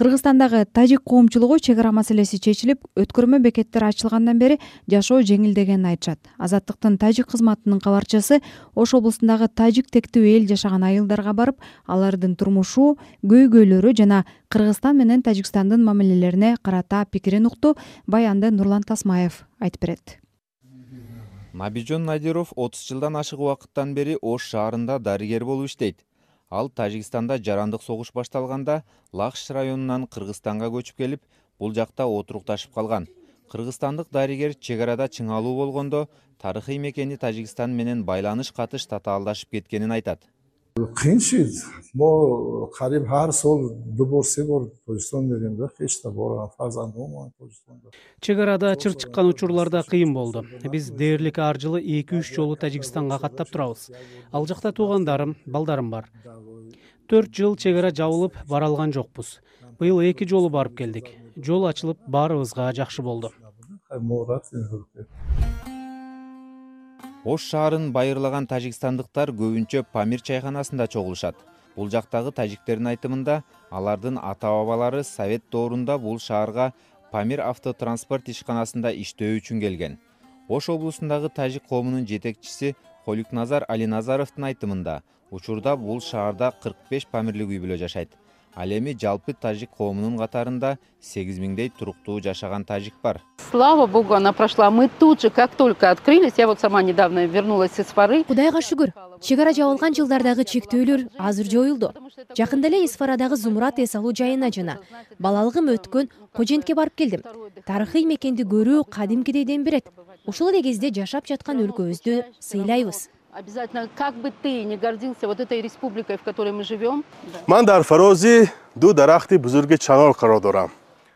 Кыргызстандагы тажик коомчулугу чек ара маселеси чечилип, өткөрмө бекеттер ачылгандан бери жашоо жеңилдегенин айтышат. Азаттыктын тажик кызматынын кабарчысы Ош облусундагы тажик тектүү эл жашаган айылдарга барып, алардын турмушу, көйгөйлөрү жана Кыргызстан менен Тажикстандын мамилелерине карата пикирин укту. Баянды Нурлан Тасмаев айтып берет. Набижон Надиров отуз жылдан ашык убакыттан бери Ош шаарында дарыгер болуп иштейт. Ал Тажикстанда жарандык согуш башталганда Лахш районунан Кыргызстанга көчүп келип, бул жакта отурукташып калган. Кыргызстандык дарыгер чек арада чыңалуу болгондо тарыхый мекени Тажикстан менен байланыш катыш татаалдашып кеткенин айтат. Кыйынчылык могу карип ар сол дуборсе бар Тажикстан дегенде эч да бора фарзандым Тажикстанда. Чек арада чыр чыккан учурларда кыйын болду. Биз дээрлик ар жылы эки үч жолу Тажикстанга каттап турабыз. Ал жакта туугандарым, балдарым бар. төрт жыл чек ара жабылып бара алган жокпуз. Быйыл эки жолу барып келдик. Жол ачылып баарыбызга жакшы болду. Ош шаарын байырлаган тажикстандыктар көбүнчө Памир чайханасында чогулушат. Бул жактагы тажиктердин айтымында, алардын ата-бабалары Совет доорунда бул шаарга Памир автотранспорт ишканасында иштөө үчүн келген. Ош облусундагы тажик коомунун жетекчиси Холикназар Алиназаровдун айтымында, учурда бул шаарда кырк беш памирлик үй бүлө жашайт. Ал эми жалпы тажик коомунун катарында сегиз миңдей туруктуу жашаган тажик бар. Слава богу, она прошла. Мы тут же, как только открылись, я вот сама недавно вернулась из Фары. Кудайга шүгүр. чек ара жабылган жылдардагы чектөөлөр азыр жоюлду. Жакында эле Исфарадагы Зумрат эс алуу жайына жана балалыгым өткөн Кожентке барып келдим. Тарыхый мекенди көрүү кадимкидей дем берет. Ушул эле кезде жашап жаткан өлкөбүздү сыйлайбыз. Обязательно, как бы ты не гордился вот этой республикой, в которой мы живем. Мен дар Фарози ду дарахти бузурги чаңол карап турам.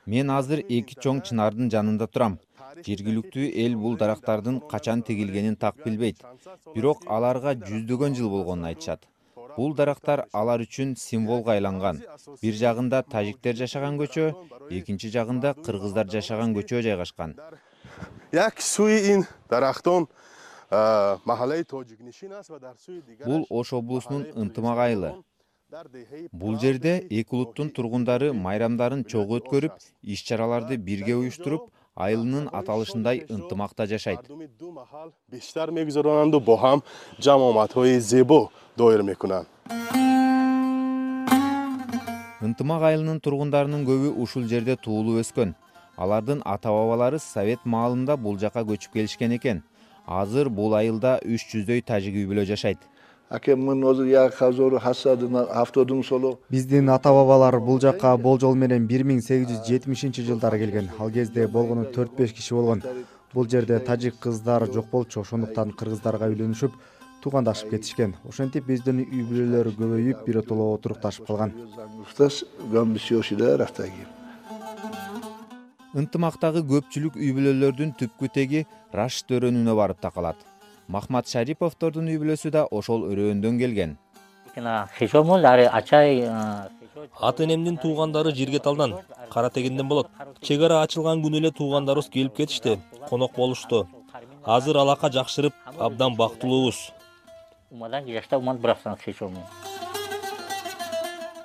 Мен азыр эки чоң чынардын жанында турам. Жергиликтүү эл бул дарактардын качан тегилгенин так билбейт. Бирок аларга жүздөгөн жыл болгонун айтышат. Бул дарактар алар үчүн символго айланган. Бир жагында тажиктер жашаган көчө, экинчи жагында кыргыздар жашаган көчө жайгашкан. Як суи ин дарактон махаллаи тоҷикнишин аст ва дар суи дигар. Бул Ош облусунун ынтымак айылы. Бул жерде эки улуттун тургундары майрамдарын чогуу өткөрүп, иш-чараларды бирге уюштуруп, айылынын аталышындай ынтымакта жашайт. Биштар мегузаронанду бо ҳам ҷамъоматҳои зебо доир мекунанд. Ынтымак айылынын тургундарынын көбү ушул жерде туулуп өскөн. Алардын ата-бабалары Совет маалында бул жака көчүп келишкен экен. Азыр бул айылда үч жүздөй тажик үй бүлө жашайт. Биздин ата-бабалар бул жакка болжол менен бир миң сегиз жүз жетимишинчи жылдары келген. Ал кезде болгону төрт беш киши болгон. Бул жерде тажик кыздар жок болчу, ошондуктан кыргыздарга үйлөнүшүп, туугандашып кетишкен. Ошентип биздин үй бүлөлөр көбөйүп, биротоло отурукташып калган. Ынтымактагы көпчүлүк үй бүлөлөрдүн түпкү теги Рашид өрөөнүнө барып такалат. Махмат Шариповдордун үй бүлөсү да ошол өрөөндөн келген. Ата энемдин туугандары Жиргеталдан, Кара Тегинден болот. Чек ара ачылган күнү эле туугандарыбыз келип кетишти, конок болушту. Азыр алака жакшырып, абдан бактылуубуз.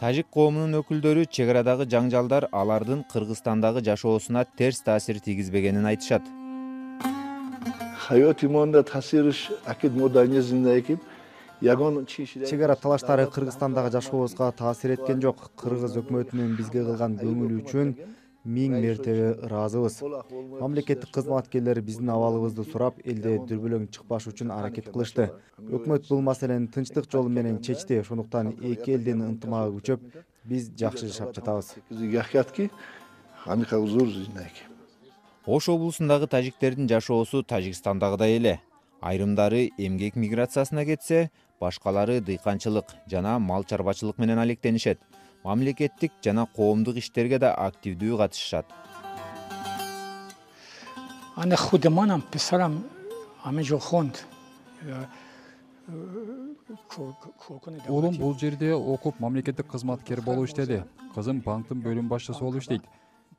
Тажик коомунун өкүлдөрү чек арадагы жаңжалдар алардын Кыргызстандагы жашоосуна терс таасир тийгизбегенин айтышат. Чек ара талаштары Кыргызстандагы жашообузга таасир эткен жок. Кыргыз өкмөтүнүн бизге кылган көңүлү үчүн миң мертебе ыраазыбыз. Мамлекеттик кызматкерлер биздин абалыбызды сурап, элде дүрбөлөң чыкпаш үчүн аракет кылышты. Өкмөт бул маселени тынчтык жолу менен чечти. Ошондуктан эки элдин ынтымагы күчөп, биз жакшы жашап жатабыз. Ош облусундагы тажиктердин жашоосу Тажикстандагыдай эле. Айрымдары эмгек миграциясына кетсе, башкалары дыйканчылык жана мал чарбачылык менен алектенишет. Мамлекеттик жана коомдук иштерге да активдүү катышышат. Аны худеманам писарам амежохонд. Улум бул жерде окуп мамлекеттик кызматкер болуп иштеди. Кызым банктын бөлүм башчысы болуп иштейт.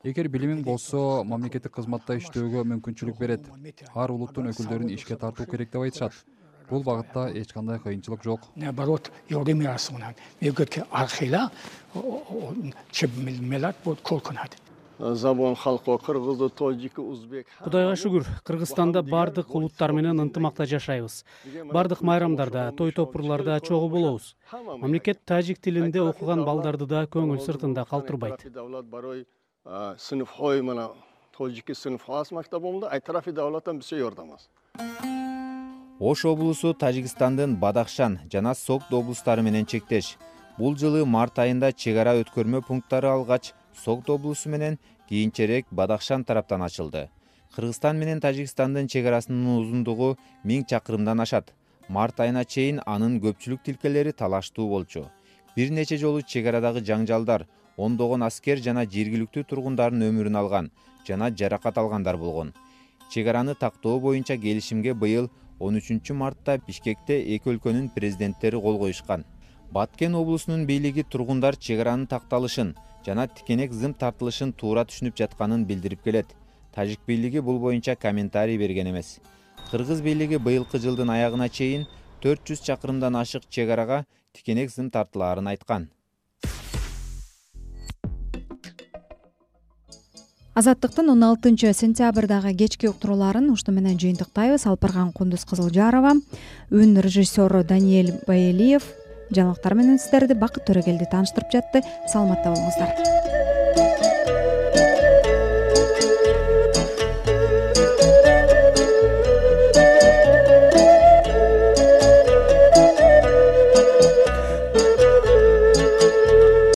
Эгер билимиң болсо, мамлекеттик кызматта иштөөгө мүмкүнчүлүк берет. Ар улуттун өкүлдөрүн ишке тартуу керек деп айтышат. Бул багытта эч кандай кыйынчылык жок. Наоборот, yordam yarasınlar. Mevcutki arxila çebmelat bu kolkunat. Забон халкы кыргызды, тоджики, узбек. Кудайга шүгүр, Кыргызстанда бардык улуттар менен ынтымакта жашайбыз. Бардык майрамдарда, той топурларда чогуу болобуз. Мамлекет тажик тилинде окуган балдарды да көңүл сыртында калтырбайт. Сынып хой мына тоджики сынып хас мактабымда ай тарафи давлаттан биз жардамыз. Ош облусу Тажикстандын Бадахшан жана Согд облустары менен чектеш. Бул жылы март айында чек ара өткөрмө пункттары алгач, Согд облусу менен кийинчерээк Бадахшан тараптан ачылды. Кыргызстан менен Тажикстандын чек арасынын узундугу миң чакырымдан ашат. Март айына чейин анын көпчүлүк тилкелери талаштуу болчу. Бир нече жолу чек арадагы жаңжалдар, ондогон аскер жана жергиликтүү тургундардын өмүрүн алган жана жаракат алгандар болгон. Чек араны тактоо боюнча келишимге быйыл он үчүнчү мартта Бишкекте эки өлкөнүн президенттери кол коюшкан. Баткен облусунун бийлиги тургундар чек аранын такталышын жана тикенек зым тартылышын туура түшүнүп жатканын билдирип келет. Тажик бийлиги бул боюнча комментарий берген эмес. Кыргыз бийлиги быйылкы жылдын аягына чейин төрт жүз чакырымдан ашык чек арага тикенек зым тартылаарын айткан. Азаттыктын он алтынчы сентябрдагы кечки уктурууларын ушуну менен жыйынтыктайбыз. Алпарган Кундуз Кызылжарова, үн режиссеру Даниэль Баэлиев жаңылыктар менен сиздерди Бакыт Төрөгелди тааныштырып жатты. Саламатта болуңуздар.